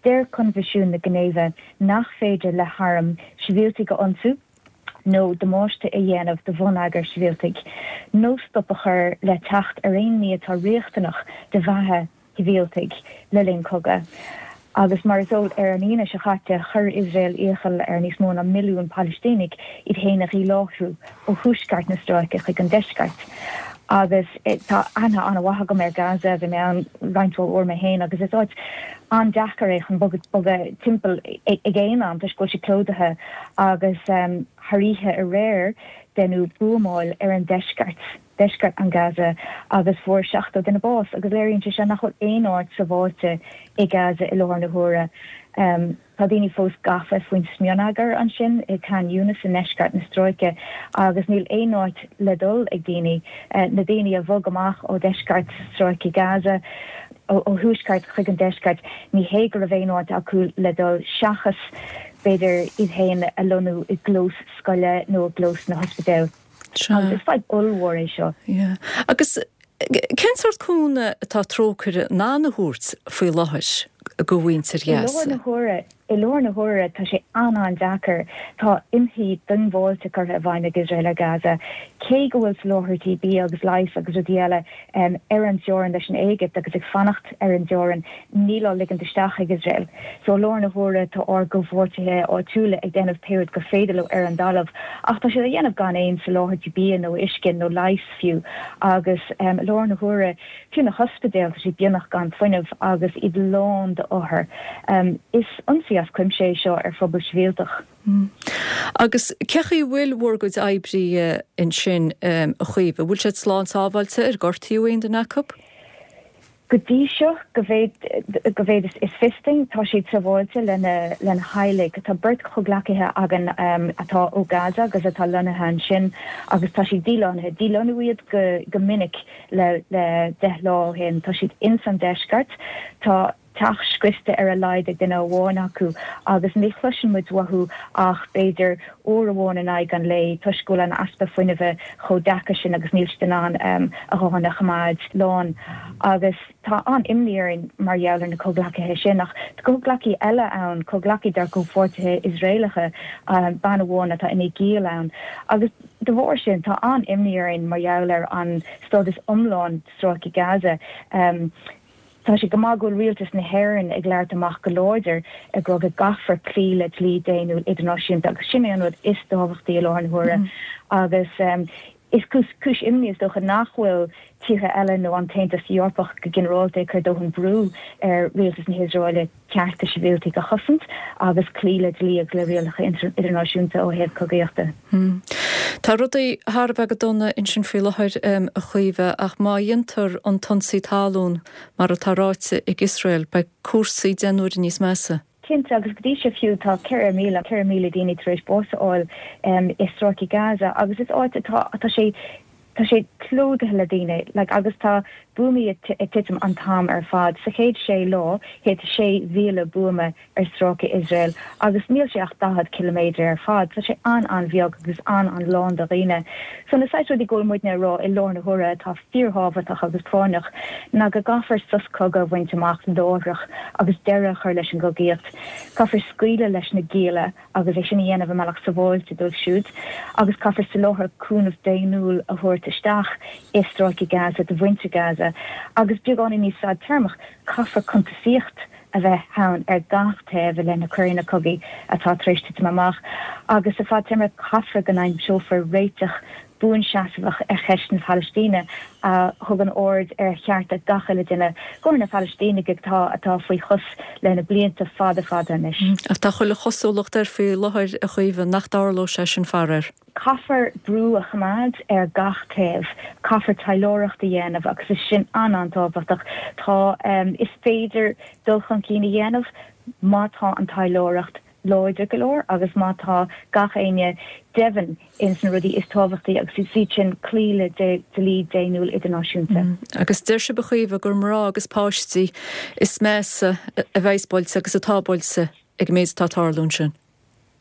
Deir Coinbhisiún na Ginéive nach féidir le hairm sibhialtaigh a ionsú nó damáiste a dhéanamh do bhonneagar sibhialtaigh, nó stop a chur le teacht ar aon ní atá riachtanach do bheatha shibhialtaigh le linn cogaidh. Agus mar is eol, ar an Aoine seo chaite, chuir Iosrael iachall ar níos mó ná milliún Palaistínigh iad féin a dhíláithriú ó thuaisceart na stráice chuig an deisceart. Agus tá aithne an-mhaith agam ar Gaza, bhí mé ann roinnt mhaith uair mé féin, agus is áit an-deacair é chun bogadh timpeall ag aon am toisc go bhfuil sé plódaithe agus thar oíche aréir deineadh buamáil ar an deisceart. deisceart an Gaza agus fuair seachtó duine bás agus léiríonn sé seo nach bhfuil aon áit sábháilte i Gaza i láthair na huaire. Tá daoine fós gafa faoin smionagar ansin i Khan Younis i ndeisceart na stráice agus níl aon áit le dul ag daoine. Na daoine a bhog amach ó dheisceart stráice Gaza, ó thuaisceart chuig an deisceart, ní hé go raibh aon áit acu le dul seachas b'fhéidir iad féin a lonnú i gclós scoile nó i gclós na hospidéil. Agus is fadhb ollmhór é seo. Yeah. Agus cén sórt cúnamh atá Trócaire in ann a thabhairt faoi láthair go mhuintir I láthair Ghaza? na huaire, i láthair na huaire tá sé an-an-deacair. Tá ionsaí diongbháilte curtha i bhfeidhm ag Iosrael ar Gaza. Cé go bhfuil soláthairtí bia agus leighis agus rudaí eile ar an dteorainn leis an Éigipt agus ag fanacht ar an dteorainn, níl á ligint isteach ag Iosrael. So i láthair na huaire tá ár gcomhpháirtithe áitiúla ag déanamh pé rud gur féidir leo ar an dtalamh ach tá siad á dhéanamh gan aon soláthairtí bia nó uisce nó leighis fiú agus i láthair na huaire fiú na hospidéil tá siad beagnach gan fuinneamh agus iad lán d'othair. Is ionsaí as cuimse é seo ar phobal sibhialtach. Agus cé chaoi a bhfuil bhur gcuid oibrithe ansin, a Chaoimhe? Bhfuil siad slán sábháilte? Ar gortaíodh aon duine acu? Go dtí seo, go mhéad go mhéad is fios dúinn, tá siad sábháilte lena lena theaghlaigh. Tá beirt chomhghleacaithe againn atá ó Gaza agus atá lonnaithe ansin agus tá siad dílonnaithe. Dílonnú iad go go minic le le deich lá ó shin. Tá siad ins an deisceart. Tá teach scriosta ar a laghad ag duine amháin acu agus ní chloiseann muid uathu ach b'fhéidir uair amháin in aghaidh an lae toisc go bhfuil an easpa fuinnimhe chomh deacair sin agus níl siad in ann a ghutháin a choimeád lán. Agus tá an-imní orainn mar gheall ar na comhghleacaithe sin. Ach tá comhghleacaí eile ann, comhghleacaí dár gcomhpháirtithe Iosraelacha, bean amháin atá ina giall ann. Agus de bharr sin tá an-imní orainn mar gheall ar an stádas iomlán stráice Gaza. Tá sé go maith go bhfuil rialtas na hÉireann ag labhairt amach go láidir ag rá go gcaithfear cloí le dlí daonnúil idirnáisiúnta agus sin é an rud is tábhachtaí i láthair na huaire agus is cúis imní is dócha nach bhfuil tíortha eile nó an tAontas Eorpach go ginearálta ag cur dóthain brú ar rialtas na hIosraeile cearta sibhialtaigh a chosaint agus cloí le dlí agus le rialacha idirnáisiúnta ó thaobh cogaíochta. Tá rudaí thar a bheith go dona ansin faoi láthair, a Chaoimhe, ach má dhéantar an t-ionsaí talún mar atá ráite ag Iosrael, beidh cúrsaí deich n-uaire níos measa. Cinnte, agus go dtí seo fiú tá ceithre mhíle, ceithre mhíle daoine tar éis bás a fháil i stráice Gaza agus is áit atá, tá sé, Tá sé plódaithe le daoine, like, agus tá buamaí ag titim an t-am ar fad. Sa chéad sé lá, thit sé mhíle buama ar stráice Iosrael agus níl sé ach daichead ciliméadar ar fad. Tá sé an-an-bheag agus an-an-lán de dhaoine. So na saghas rudaí go bhfuil muidne a rá i láthair na huaire atá fíorthábhachtach agus práinneach ná go gcaithfear sos cogaidh a bhaint amach láithreach agus deireadh a chur leis an gcogaíocht. Caithfear scaoileadh leis na gialla. agus é sin a dhéanamh i mbealach sabháilte dóibh siúd, agus caithfear soláthar cúnamh daonnúil a thabhairt isteach i stráice Gaza do mhuintir Gaza, agus beagáinín níos fadtéarmach, caithfear cuntasaíocht a bheith ann ar gach taobh i leith na coireanna cogaidh atá tar éis titim amach, agus sa fadtéarma caithfear go n-aimseofar réiteach buanseasmhach ar cheist na Palaistíne a thugann aird ar chearta gach uile duine, go háirithe na Palaistínigh atá atá faoi chos le na blianta fada fada anois. Ach tá chuile chosúlacht air faoi láthair, a Chaoimhe, nach dtarlóidh sé sin faraor. Caithfear brú a choimeád ar gach taobh, caithfear taidhleoireacht a dhéanamh agus is sin an-an-tábhachtach. Tá, is féidir dul chun cinn a dhéanamh má tá an taidhleoireacht láidir go leor agus má tá gach éinne deimhin ins na rudaí is tábhachtaí agus is iad sin cloí le dlí daonnúil idirnáisiúnta. Agus deir sibh, a Chaoimhe, gur mná agus páistí is measa a bheas buailte agus atá buailte ag an méid atá ag tarlú ansin.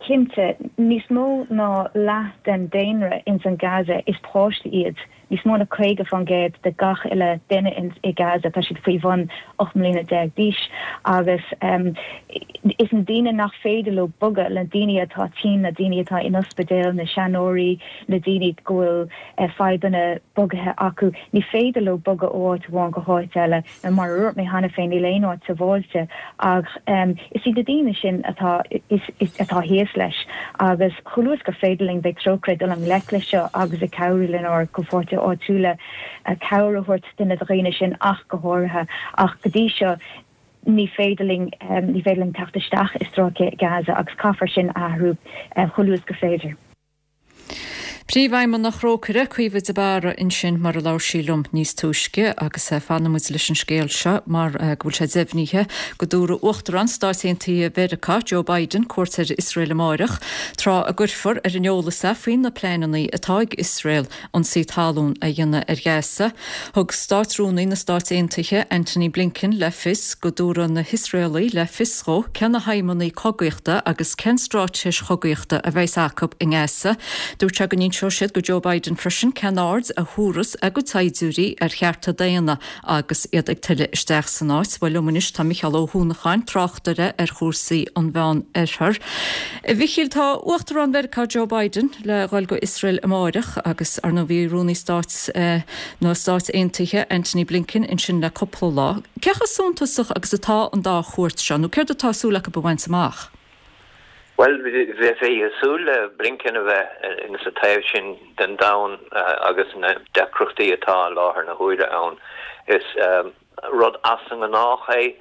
Cinnte, níos mó ná leath den daonra ins an Gaza is páistí iad. Níos mó ná caoga faoin gcéad de gach uile duine i Gaza, tá siad faoi bhun ocht mbliana déag d'aois agus is na daoine nach féidir leo bogadh, na daoine atá tinn, na daoine atá in ospidéal, na seanóirí, na daoine go bhfuil fadhbanna bogaithe acu, ní féidir leo bogadh ó áit amháin go háit eile. Mar a dúirt mé cheana féin, níl aon áit sábháilte ach is iad na daoine sin atá atá thíos leis agus chomh luath is gur féidir linn beidh Trócaire ag dul i ngleic leis seo agus ag cabhrú lenár gcomhpháirtithe áitiúla cabhair a thabhairt do na daoine sin ach go háirithe ach go dtí seo ní féidir linn ní féidir linn teacht isteach i stráice Gaza agus caithfear sin a athrú chomh luath is gur féidir. Príomhfheidhmeannach Thrócaire, Caoimhe de Barra ansin mar a labhair sí liom níos túisce agus fanfaidh muid leis an scéal seo mar go bhfuil sé deimhnithe go dtabharfaidh Uachtarán Stáit Aontaithe Mheiriceá, Joe Biden, cuairt ar Iosrael amáireach, tráth a gcuirfear ar an eolas é faoi na pleananna atá ag Iosrael ionsaí talún a dhéanamh ar Ghaza. Thug Státrúnaí na Stát Aontaithe, Antony Blinken, le fios go dtabharfaidh na hIosraelaigh le fios dhó cé na haidhmeanna cogaíochta agus cén straitéis chogaíochta a bheas acu i nGaza. Dúirt sé go n-inseoidh siad go Joe Biden freisin cén aird a thabharfas a gcuid saighdiúirí ar chearta daonna agus iad ag tuilleadh isteach san áit. Bhuel liom anois tá Micheál Ó hUanacháin, tráchtaire ar chúrsaí an Mheán Oirthir. A Mhichíl, tá Uachtarán Mheiriceá Joe Biden le dhul go Iosrael amáireach agus ar ndóigh bhí Rúnaí Stáit na Stát Aontaithe Antony Blinken ansin le cúpla lá. Cé chomh suntasach agus atá an dá chuairt seo nó céard atá súil acu a bhaint amach? Bhuel, bheifí ag súil le Blinken a bheith in sa taobh sin den domhan agus na deacrachtaí atá i láthair na huaire ann. Is rud as an ngnách é,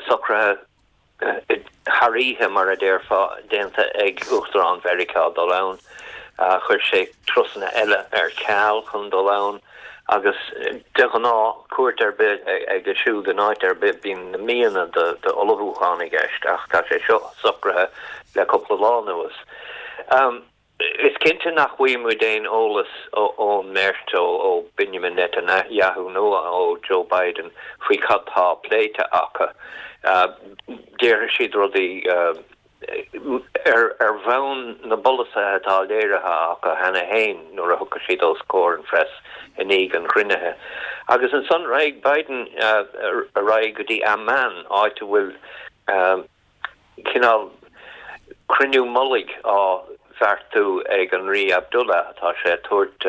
socruithe thar oíche, mar a déarfá, déanta ag Uachtarán Mheiriceá dul ann. Chuir sé turasanna eile ar ceal chun dul ann agus de ghnáth, cuairt ar bith aige siúd in áit ar bith, bíonn na míonna d'ullmhúchán i gceist ach tá sé seo socraithe le cúpla lá anuas. Is cinnte nach bhfaighidh muid aon eolas ón mbeirt, ó Benjamin Netanyahu nó ó Joe Biden, faoi cad tá pléite acu. Déarfaidh siad rudaí ar bhonn na bpolasaithe atá léirithe acu cheana féin nuair a thiocfaidh siad os comhair an phress i ndiaidh an chruinnithe. Agus ansan raghaidh Biden ar aghaidh go dtí Amman, áit a bhfuil cineál cruinniú mullaigh á bheartú ag an Rí Abdullah. Tá sé ag tabhairt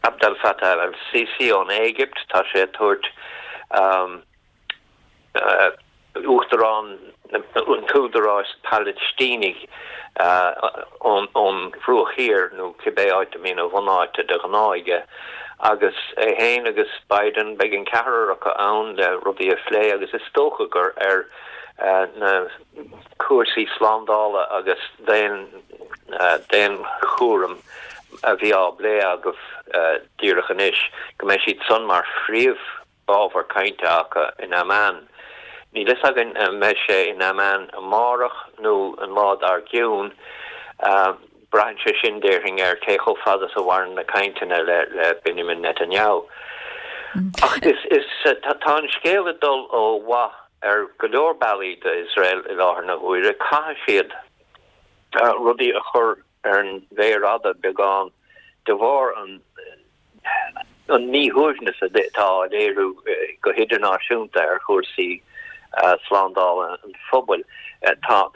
Abdel Fattah el-Sisi ón Éigipt, tá sé ag tabhairt Uachtarán an tÚdaráis Phalaistínigh ón Bhruach Thiar, nó cibé áit a mbíonn a bhunáite de ghnáth aige, agus é féin agus Biden, beidh an ceathrar acu ann le rudaí a phlé agus is dócha gur ar na cúrsaí slándála agus daonchúraim a bhí á bplé agaibh díreach anois, go mbeidh siad san mar phríomh. ábhar cainte acu in Amman. Níl fhios againn an mbeidh sé in Amman amárach nó an lá dár gcionn. Braitheann sé sin, déarfainn, ar cé chomh fada is a mhaireann na cainteanna le Benjamin Netanyahu. Ach is tá an scéal ag dul ó mhaith ar go leor bealaí d'Iosrael i láthair na huaire. Caithfidh siad rudaí a chur ar an mhéar fhada beagán de bharr an an míshuaimhneas atá á léiriú go hidirnáisiúnta ar chúrsaí slándála an phobail. Tá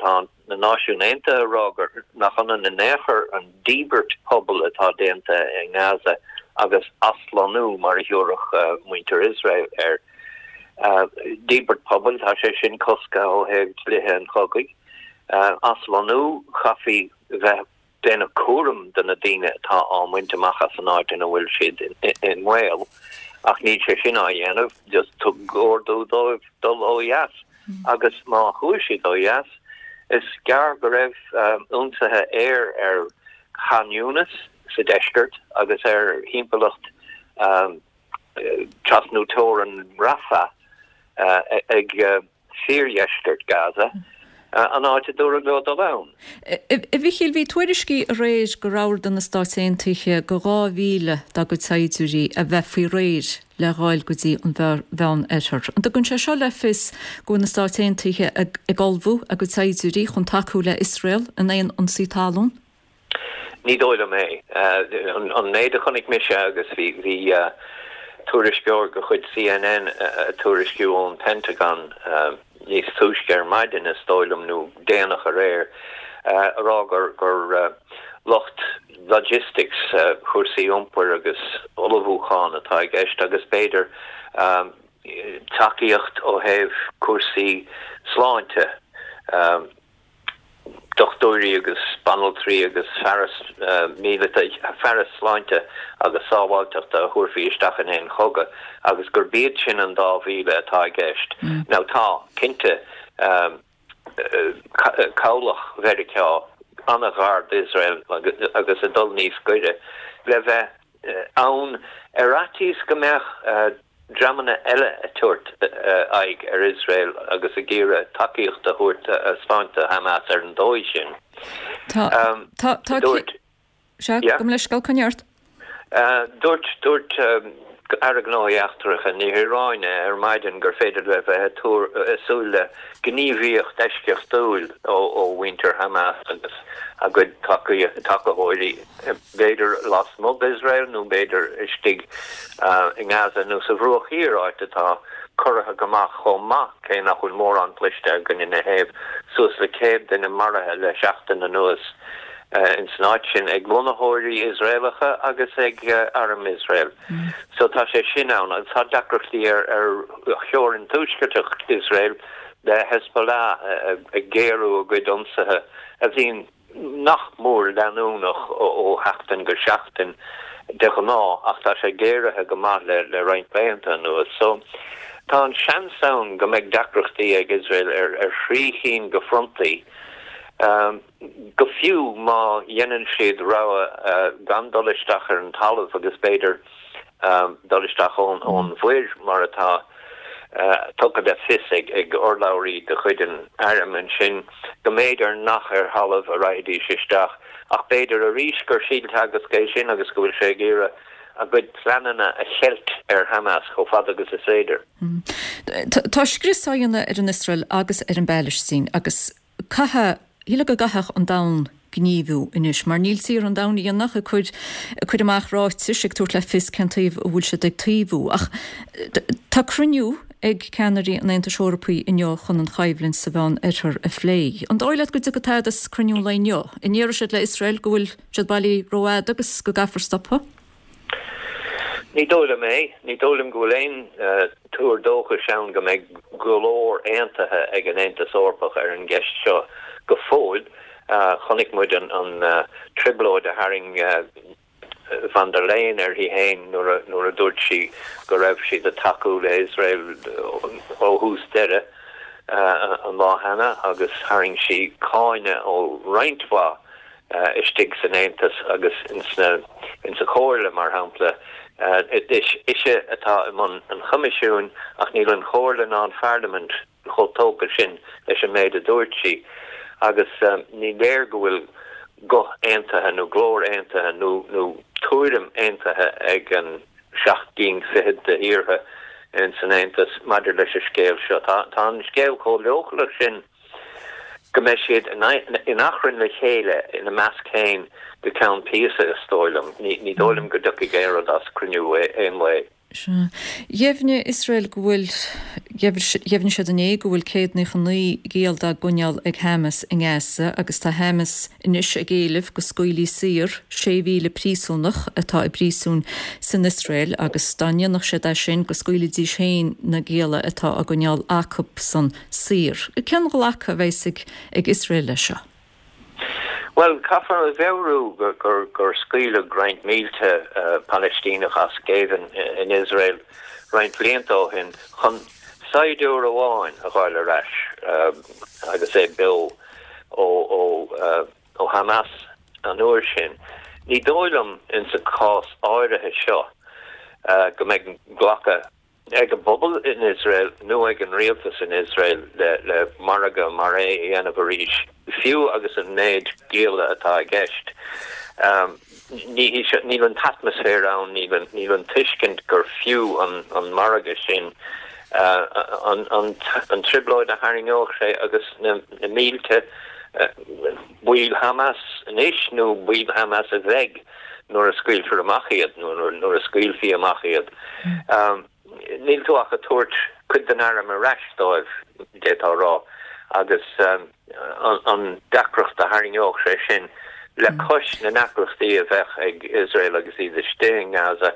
na Náisiúin Aontaithe ag rá gur nach ionann in aon chor an díbirt pobail atá déanta i nGaza agus aslonnú mar a thiúrfadh muintir Iosrael air. Díbirt pobail, tá sé sin cosctha ó thaobh dlíthe an chogaidh. Aslonnú, chaithfí bheith déanamh cúram de na daoine atá á mbaint amach as an áit ina bhfuil siad i mbaol, ach níl sé sin á dhéanamh, just tug ordú dóibh dul ó dheas. Agus má chuaigh siad ó dheas, is gearr go raibh ionsaithe aeir ar Khan Younis sa deisceart agus ar thimpeallacht trasnú teorann Rafah ag fíordheisceart Gaza, an áit a dúradh leo dul ann. A Mhichíl, bhí tuairiscí aréir gur ordaigh na Stáit Aontaithe go dhá mhíle dá gcuid saighdiúirí a bheith faoi réir le ghabháil go dtí an Mheán-Oirthear. An dtugann sé seo le fios go bhfuil na Stáit Aontaithe ag ullmhú a gcuid saighdiúirí chun tacú le Iosrael in aon ionsaí talún? Ní dóigh liom é. An méid a chonaic mise agus bhí bhí tuairisceoir de chuid CNN ag tuairisciú ón Pentagon níos túisce ar maidin, is dóigh liom, nó déanach aréir, a rá gur gur lucht logistics, cúrsaí iompair agus ullmhúcháin atá i gceist agus b'fhéidir tacaíocht ó thaobh cúrsaí sláinte. Dochtúirí agus banaltraí agus fearas míleata, fearas sláinte agus sábháilteachta a thabharfaí isteach in aon chogadh agus gurb iad sin an dá mhíle atá i gceist. Now tá, cinnte, cabhlach Mheiriceá an-ghar d'Iosrael agus ag dul níos gaire le bheith ann ar fhaitíos go mbeadh dreamanna eile ag tabhairt aghaidh ar Iosrael agus ag iarraidh tacaíocht a thabhairt a thaispeáint do Hamas ar an dóigh sin. Tá, tá, tá, Dúirt, sea, yeah. Gabh mo leithscéal, coinnigh ort. Dúirt, dúirt Aire Gnóthaí Eachtracha na hIaráine ar maidin gur féidir le bheith ag tuar, ag súil le gníomhaíocht eisceachtúil ó, ó mhuintir Hamas agus a gcuid tacaitheoirí. b'fhéidir lasmuigh d'Iosrael nó b'fhéidir istigh i nGaza nó sa Bhruach Thiar, áit atá corraithe go maith chomh maith, cé nach bhfuil mórán cloiste againn ina thaobh. Suas le céad duine maraithe le seachtain anuas ins an áit sin ag lonnaitheoirí Iosraelacha agus ag arm Iosrael. So tá sé sin ann agus tá deacrachtaí ar theorainn tuaisceartach Iosrael le Hezbollah ag géarú a gcuid ionsaithe a bhíonn nach mór leanúnach ó sheachtain go seachtain de ghnáth ach tá sé géaraithe go maith le roinnt laethanta anuas. So, tá an seans ann go mbeidh deacrachtaí ag Iosrael ar thrí chinn de frontaí, go fiú má dhéanann siad rogha gan dul isteach ar an talamh agus b'fhéidir dul isteach ón mhuir mar atá tugtha le fios ag urlabhraí de chuid an airm ansin go mb'fhéidir nach ar thalamh a raghaidís isteach ach b'fhéidir arís gur síolteagasc é sin agus go bhfuil sé ag iarraidh a gcuid pleananna a cheilt ar Hamas chomh fada agus is féidir. Tá scrios á dhéanamh ar an Iosrael agus ar an bPailistín agus caithfidh Shílfeá go gcaithfeadh an domhan gníomhú anois, mar níl tíortha an domhain a dhéanamh ach ag cur ag cur amach ráitis ag tabhairt le fios cén taobh a bhfuil siad ag taobhú. Ach tá cruinniú ag ceannairí an Aontais Eorpaigh inniu chun an choimhlint sa Mheán Oirthear a phlé. An dóigh leat go dtiocfaidh tada as cruinniú an lae inniu? An ndéarfaidh siad le Iosrael go bhfuil siad bailí rófhada agus go gcaithfear stopadh? Ní dóigh liom é. Ní dóigh liom go bhfuil aon tuar dóchais ann go mbeidh glór aontaithe ag an Aontas Eorpach ar an gceist seo go fóill. Chonaic muid an trioblóid a tharraing von der Leyen uirthi féin nuair a dúirt sí go raibh siad ag tacú le Iosrael ó thús deireadh an lá cheana agus tharraing sí cáineadh ó roinnt mhaith istigh san Aontas agus insa Chomhairle, mar shampla. Is ise atá i mbun an Choimisiúin ach níl an Chomhairle ná an Pharlaimint chomh tógtha sin leis an méid a dúirt sí agus ní léir go bhfuil guth aontaithe nó glór aontaithe nó tuairim aontaithe ag an seacht gcinn fichead de thíortha ins an Aontas maidir leis an scéal seo. Tá an scéal chomh leochaileach sin go mbeidh siad in achrann le chéile ina measc féin go ceann píosa, is dóigh liom. Ní dóigh liom go dtiocfaidh aon rud as cruinniú aon lae. Sea. Dheimhnigh Iosrael go bhfuil, dheimhnigh siad inné go bhfuil céad naocha naoi giall dá gcoinneáil ag Hamas i nGaza agus tá Hamas anois ag éileamh go scaoilfí saor sé mhíle príosúnach atá i bpríosún san Iosrael agus dá ndéanfadh siad é sin go scaoilfidís féin na gialla atá á gcoinneáil acusan saor. Cén ghlacadh a bheas ag Iosrael leis seo? Bhuel, caithfear a mheabhrú gur scaoileadh roinnt mílte Palaistíneach as géibheann in Iosrael roinnt blianta ó shin chun saighdiúir amháin a dh'fháil ar ais agus é beo ó Hamas an uair sin. Ní dóigh liom insa chás áirithe seo go mbeidh glacadh ag an bpobal in Iosrael nó ag an rialtas in Iosrael le le margadh mar é a dhéanamh arís, fiú agus an méid díola atá i gceist. Níl an t-atmaisféar ann, níl an níl an tuiscint gur fiú an an margadh sin, an an an trioblóid a tharraingeodh sé agus na na mílte baill Hamas anois nó baill Hamas a bheidh nuair a scaoilfear amach iad, nó nuair a scaoilfí amach iad. Níl tú ach ag tabhairt cuid den arm ar ais dóibh, d'fhéadfá a rá, agus an deacracht a tharraingeodh sé sin le cois na ndeacrachtaí a bheadh ag Iosrael agus iad istigh i nGaza,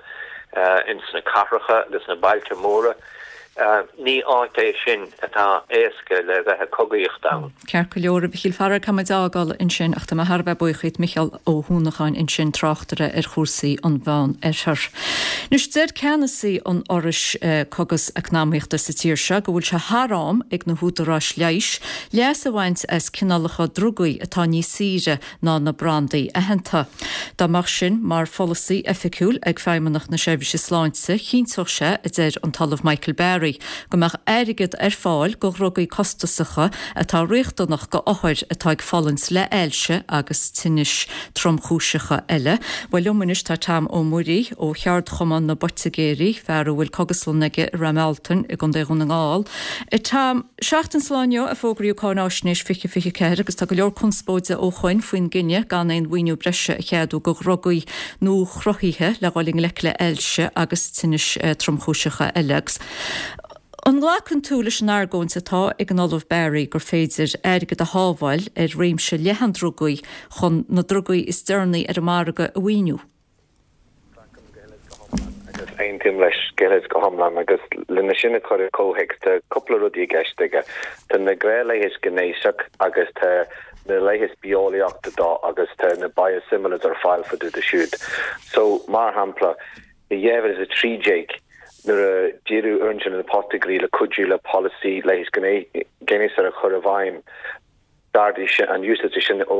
ins na cathracha agus na bailte móra. Ní áit é sin atá éasca le bheith ag cogaíocht ann. Ceart go leor, a Mhichíl, faraor caithfidh muid fhágáil ansin ach tá mé thar a bheith buíoch díot, Micheál Ó hUanacháin ansin, tráchtaire ar chúrsaí an Mheán Oirthir. Anois deir ceannasaí an Fhorais Cógas Eacnamaíochta sa tír seo go bhfuil sé thar am ag na húdaráis leighis leas a bhaint as cineálacha drugaí atá níos saoire ná na brandaí aitheanta. Dá mbeadh sin mar pholasaí oifigiúil ag Feidhmeannacht na Seirbhíse Sláinte, chinnteodh sé, a deir an tOllamh Michael Barry, go mbeadh airgead ar fáil go dhrugaí costasacha atá riachtanach go othair atá ag fulaingt le ailse agus tinnis tromchúiseacha eile. Bhuel liom anois tá Tom Ó Muirí ó Cheardchumann na bPoitigéirí, fear a bhfuil cógaslann aige i Ráth Mealtain i gContae Dhún na nGall. Tom, seachtain sa lá inniu a fógraíodh Cáináisnéis fiche fiche ceathair agus tá go leor conspóide ó shoin faoin gcinneadh gan aon mhaoiniú breise a cheadú go dhrugaí nuachruthaithe le dhul i ngleic le ailse agus tinnis tromchúiseacha eile. Agus an nglacann tú leis an argóint atá ag an Ollamh Barry gur féidir airgead a shábháil ar réimse leathan drugaí chun na drugaí is deireanaí ar an margadh a mhaoiniú? Glacaim go huile is go hiomlán agus aontaím leis go huile is go hiomlán agus lena sin a chur i gcomhthéacs tá cúpla rudaí i gceist aige. Tá na gnáthleigheas gnéasach agus tá na leigheas bitheolaíochta dó agus tá na biosimilars ar fáil fá dtaobh de siúd. So, mar shampla, i dhá mhíle is a trí déag nuair a d'iarradh orainn na poitigéirí le cuidiú le polasaí leighis gnéasach a chur i bhfeidhm, d'ardaigh an úsáid sin ó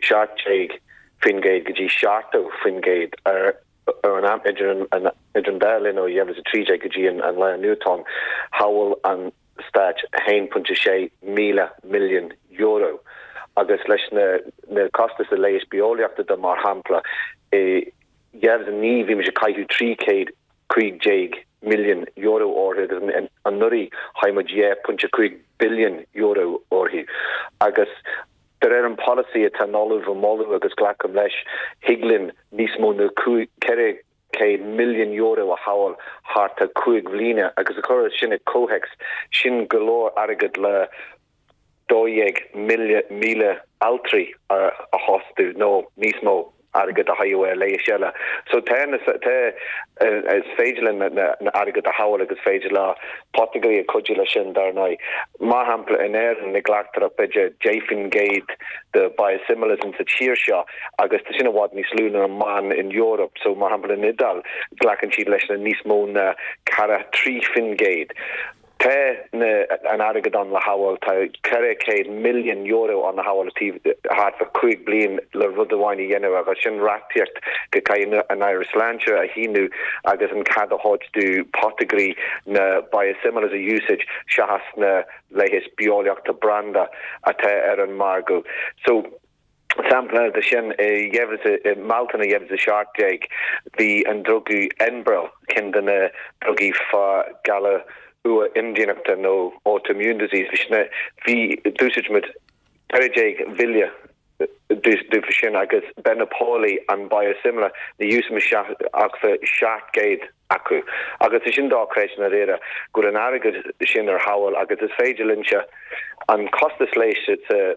seacht déag faoin gcéad go dtí seachtó faoin gcéad ar an am idir an idir an dá linn ó dhá mhíle is a trí déag go dtí an lá inniu atá ann. Shábháil an Stát a haon pointe sé míle milliún euro agus leis na na costais de leigheas bitheolaíochta de mar shampla i dhá mhíle is a naoi bhí muid ag caitheamh trí chéad cúig déag milliún euro orthu agus anuraidh chaith muid dhá pointe cúig billiún euro orthu agus de réir an polasaí atá an Ollamh a moladh agus glacaim leis thig linn níos mó ná ceithre chéad milliún euro a shábháil thart ar cúig bhliana agus a chur sin i comhthéacs sin go leor airgead le dó dhéag míle altraí a fhostú nó níos mó airgead a chaitheamh ar leigheas eile. So tá tá is féidir linn na airgead a shábháil agus féidir le poitigéirí a cuidiú leis sin dar ndóigh. Mar shampla in Éirinn ní ghlactar ach b'fhéidir deich faoin gcéad de biosimilars sa tír seo agus tá sin i bhfad níos lú ná an meán in Eoraip. So mar shampla in Iodáil glacann siad leis na níos mó ná ceithre trí faoin gcéad. Tá na an airgead ann le shábháil, tá ceithre chéad milliún euro ann le shábháil taobh thart fá cúig bliain le rud amháin a dhéanamh agus sin reachtaíocht go gcaithfidh an Aire Sláinte a shíniú agus an cead a thabhairt do poitigéirí na biosimilars a úsáid seachas na leigheas bitheolaíochta branda atá ar an margadh. So, sampla de sin, i dhá mhíle i mBealtaine dhá mhíle is a seacht déag bhí an druga Enbrel, ceann de na drugaí fá galar uath-imdhíonachta nó autoimmune disease, bhí sin, bhí, d'úsáid muid ceithre déag mhíle dófa sin agus Benepali an biosimilar, ní úsáid muid ach fá seacht gcéad acu. Agus tá sin dochreidte i ndáiríre go bhfuil an airgead sin ar shábháil agus is féidir linnse an costas leighis sa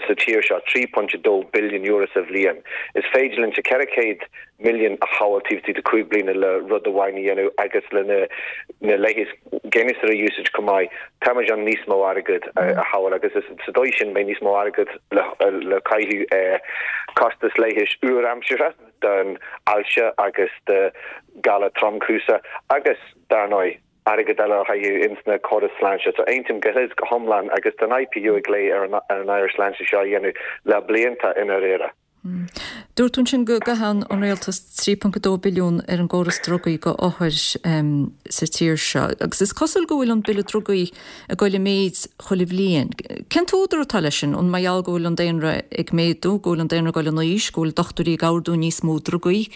sa tír seo, trí pointe dó billiún euro sa bhliain. Is féidir linnse ceithre chéad milliún a shábháil taobh istigh de cúig bliana le rud amháin a dhéanamh agus le na na leigheas gnéasach a úsáid chomh maith. Tá muid in ann níos mó airgead a shábháil agus is sa dóigh sin beidh níos mó airgead le le caitheamh ar costas leighis úr-aimseartha don ailse agus do ghalar tromchúiseach agus, dar ndóigh, airgead eile a chaitheamh ins na córais sláinte. So aontaím go huile is go hiomlán agus tá an IPU ag glao ar an Aire Sláinte seo a dhéanamh le blianta i ndáiríre. Dúirt tú ansin go gcaitheann an rialtas trí ponc a dó billiún ar an gcóras drugaí go othair sa tír seo agus is cosúil go bhfuil an bille drugaí ag goil i méid chuile bhliain. Cén t-údar atá leis sin? An mar gheall go bhfuil an daonra ag méadú, go bhfuil an daonra ag goil in aois, go bhfuil dochtúirí ag ordú níos mó drugaí?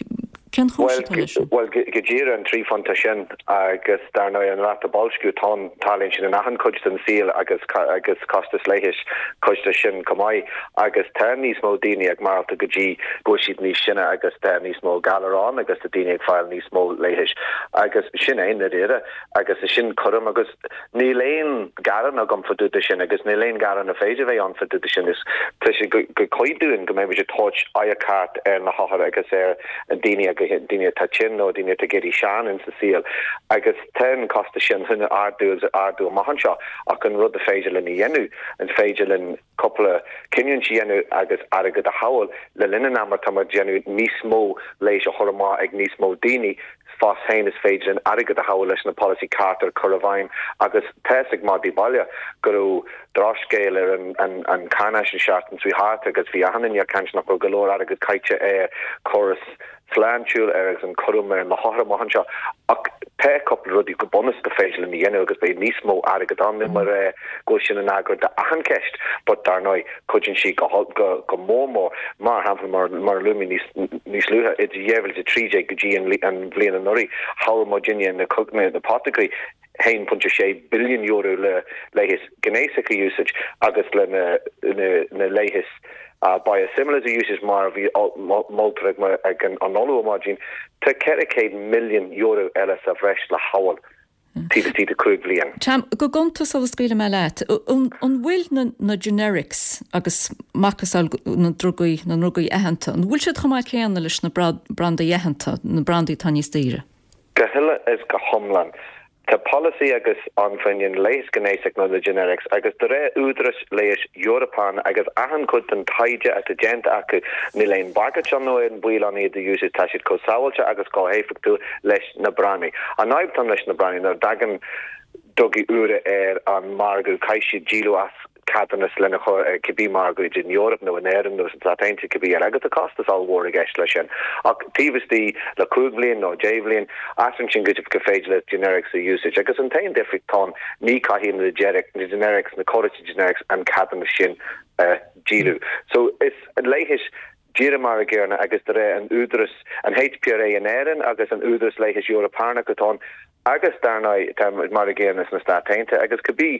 Cén chúis atá leis sin? Bhuel, go díreach an trí phointe sin agus dar ndóigh an ráta boilsciú, tá an, tarlaíonn sin in achan cuid den saol agus agus costas leighis cuid de sin chomh maith agus tá níos mó daoine ag maireachtáil go dtí go bhfuil siad níos sine agus tá níos mó galar ann agus tá daoine ag fáil níos mó leighis agus sin é ndáiríre agus is sin cúram agus Níl aon ghearán agam fá dtaobh de sin agus níl aon ghearán a féidir bheith ann fá dtaobh de sin. Is tá sé go cuí dúinn go mbeidh muid ag tabhairt aghaidh ceart ar na hothair agus ar an daoine agus daoine atá tinn nó daoine atá ag éirí sean insa saol agus tá an costas sin chun ardú agus ardú amach anseo ach an rud a féidir linn a dhéanamh, an féidir linn cúpla cinniúint a dhéanamh agus airgead a shábháil le linn an ama atá muid ag déanamh níos mó leighis a chur amach ag níos mó daoine fós féin is féidir linn airgead a shábháil leis na polasaí ceart a chur i bhfeidhm agus tá fhios ag madaí baile go raibh drochscéal ar an an cháinaisnéis an seachtain seo thart agus bhí achan duine ag caint nach raibh go leor airgead caite ar córas sláintiúil ar agus an cúram ar na hothair amach anseo ach tá cúpla rudaí go bunúsach go féidir linn a dhéanamh agus beidh níos mó airgead ann níl mé ag rá go bhfuil sin an fhreagra d'achan ceist but dar ndóigh cuidíonn sí go go mór mór mar shampla mar mar a luaigh mé níos níos luaithe idir dhá mhíle a trí déag go dtí an an bhliain anuraidh chabhraigh muidinne na na apothecary haon pointe sé billiún euro le leigheas gnéasach a úsáid agus le na na leigheas biosimilars a úsáid mar a bhí moltar ag an Ollamh ar maidin, tá ceithre chéad milliún euro eile sa bhreis le shábháil taobh istigh de cúig bhliain. Tom, go gonta sula scaoilfidh mé leat, an bhfuil na generics agus macasamhail na drugaí, na ndrugaí aitheanta, an bhfuil siad chomh maith céanna leis na brandaí aitheanta, na brandaí atá níos daoire? Go huile is go hiomlán. Tá polasaí agus ann faoin leigheas gnéasach nó na generics agus de réir Údarás Leighis Eorpach agus achan cuid den taighde atá déanta acu níl aon bhagairt ann nó aon baol ann iad a úsáid, tá siad chomh sábháilte agus chomh héifeachtúil leis na brandaí. An fhadhb atá leis na brandaí nuair a dtagann drugaí úra ar an margadh caithfidh siad díol as ceadúnas lena chur ar cibé margadh idir an Eoraip nó in Éirinn nó sna Stáit Aontaithe cibé eile agus tá costas ollmhór i gceist leis sin. Ach taobh istigh le cúig bhliain nó deich bhliain, athraíonn sin go go féidir leat generics a úsáid agus an t-aon difríocht atá ann ní caithfidh na na generics na córais generics an ceadúnas sin a dhíol. So is leigheas díreach mar a gcéanna agus de réir an údaras an HPRA in Éirinn agus an Údaras Leighis Eorpach atá ann Agus, dar ndóigh, tá mar a gcéanna sna Stáit Aontaithe agus cibé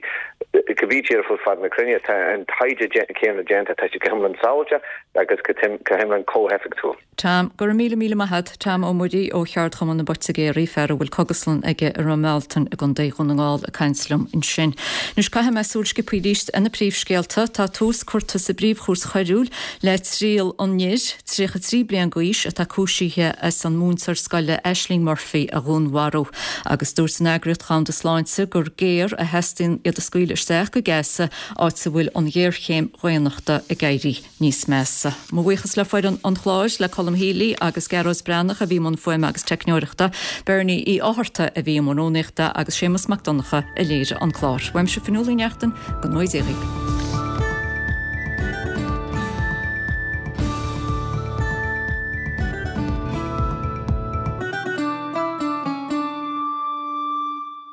cibé tír ar fud fad na cruinne, tá an taighde céanna déanta, tá siad go hiomlán sábháilte agus go hiomlán chomh héifeachtúil. Tom, Go raibh míle míle maith agat, Tom Ó Muirí ó Cheardchumann na bPoitigéirí, fear a bhfuil cogaslann aige i Ráth Mealtain i gContae Dhún na nGall ag caint liom ansin. Anois caithfidh mé súil sciobtha arís ar na príomhscéalta. Tá tús curtha sa bPríomh-Chúirt Choiriúil le triail an fhir, tríocha trí bliain d'aois, atá cúisithe as an múinteoir scoile Ashling Murphy a dhúnmharú. Agus dúirt an Eagraíocht Dhomhanda Sláinte gur géar a theastaíonn iad a scaoileadh isteach go Gaza, áit a bhfuil an ghéarchéim dhaonnachta ag éirí níos measa. Mo bhuíochas le foireann an chláir, le Colm Healy agus Gearóid Breathnach a bhí i mbun fuaime agus teicneoireachta, Bernie Uí Fhátharta a bhí i mbun rúnaíochta agus Séamus Mac Donncha a léirigh an clár. Uaimse Fionnuala Ní Neachtain, go ngnóthaí Dia dhaoibh.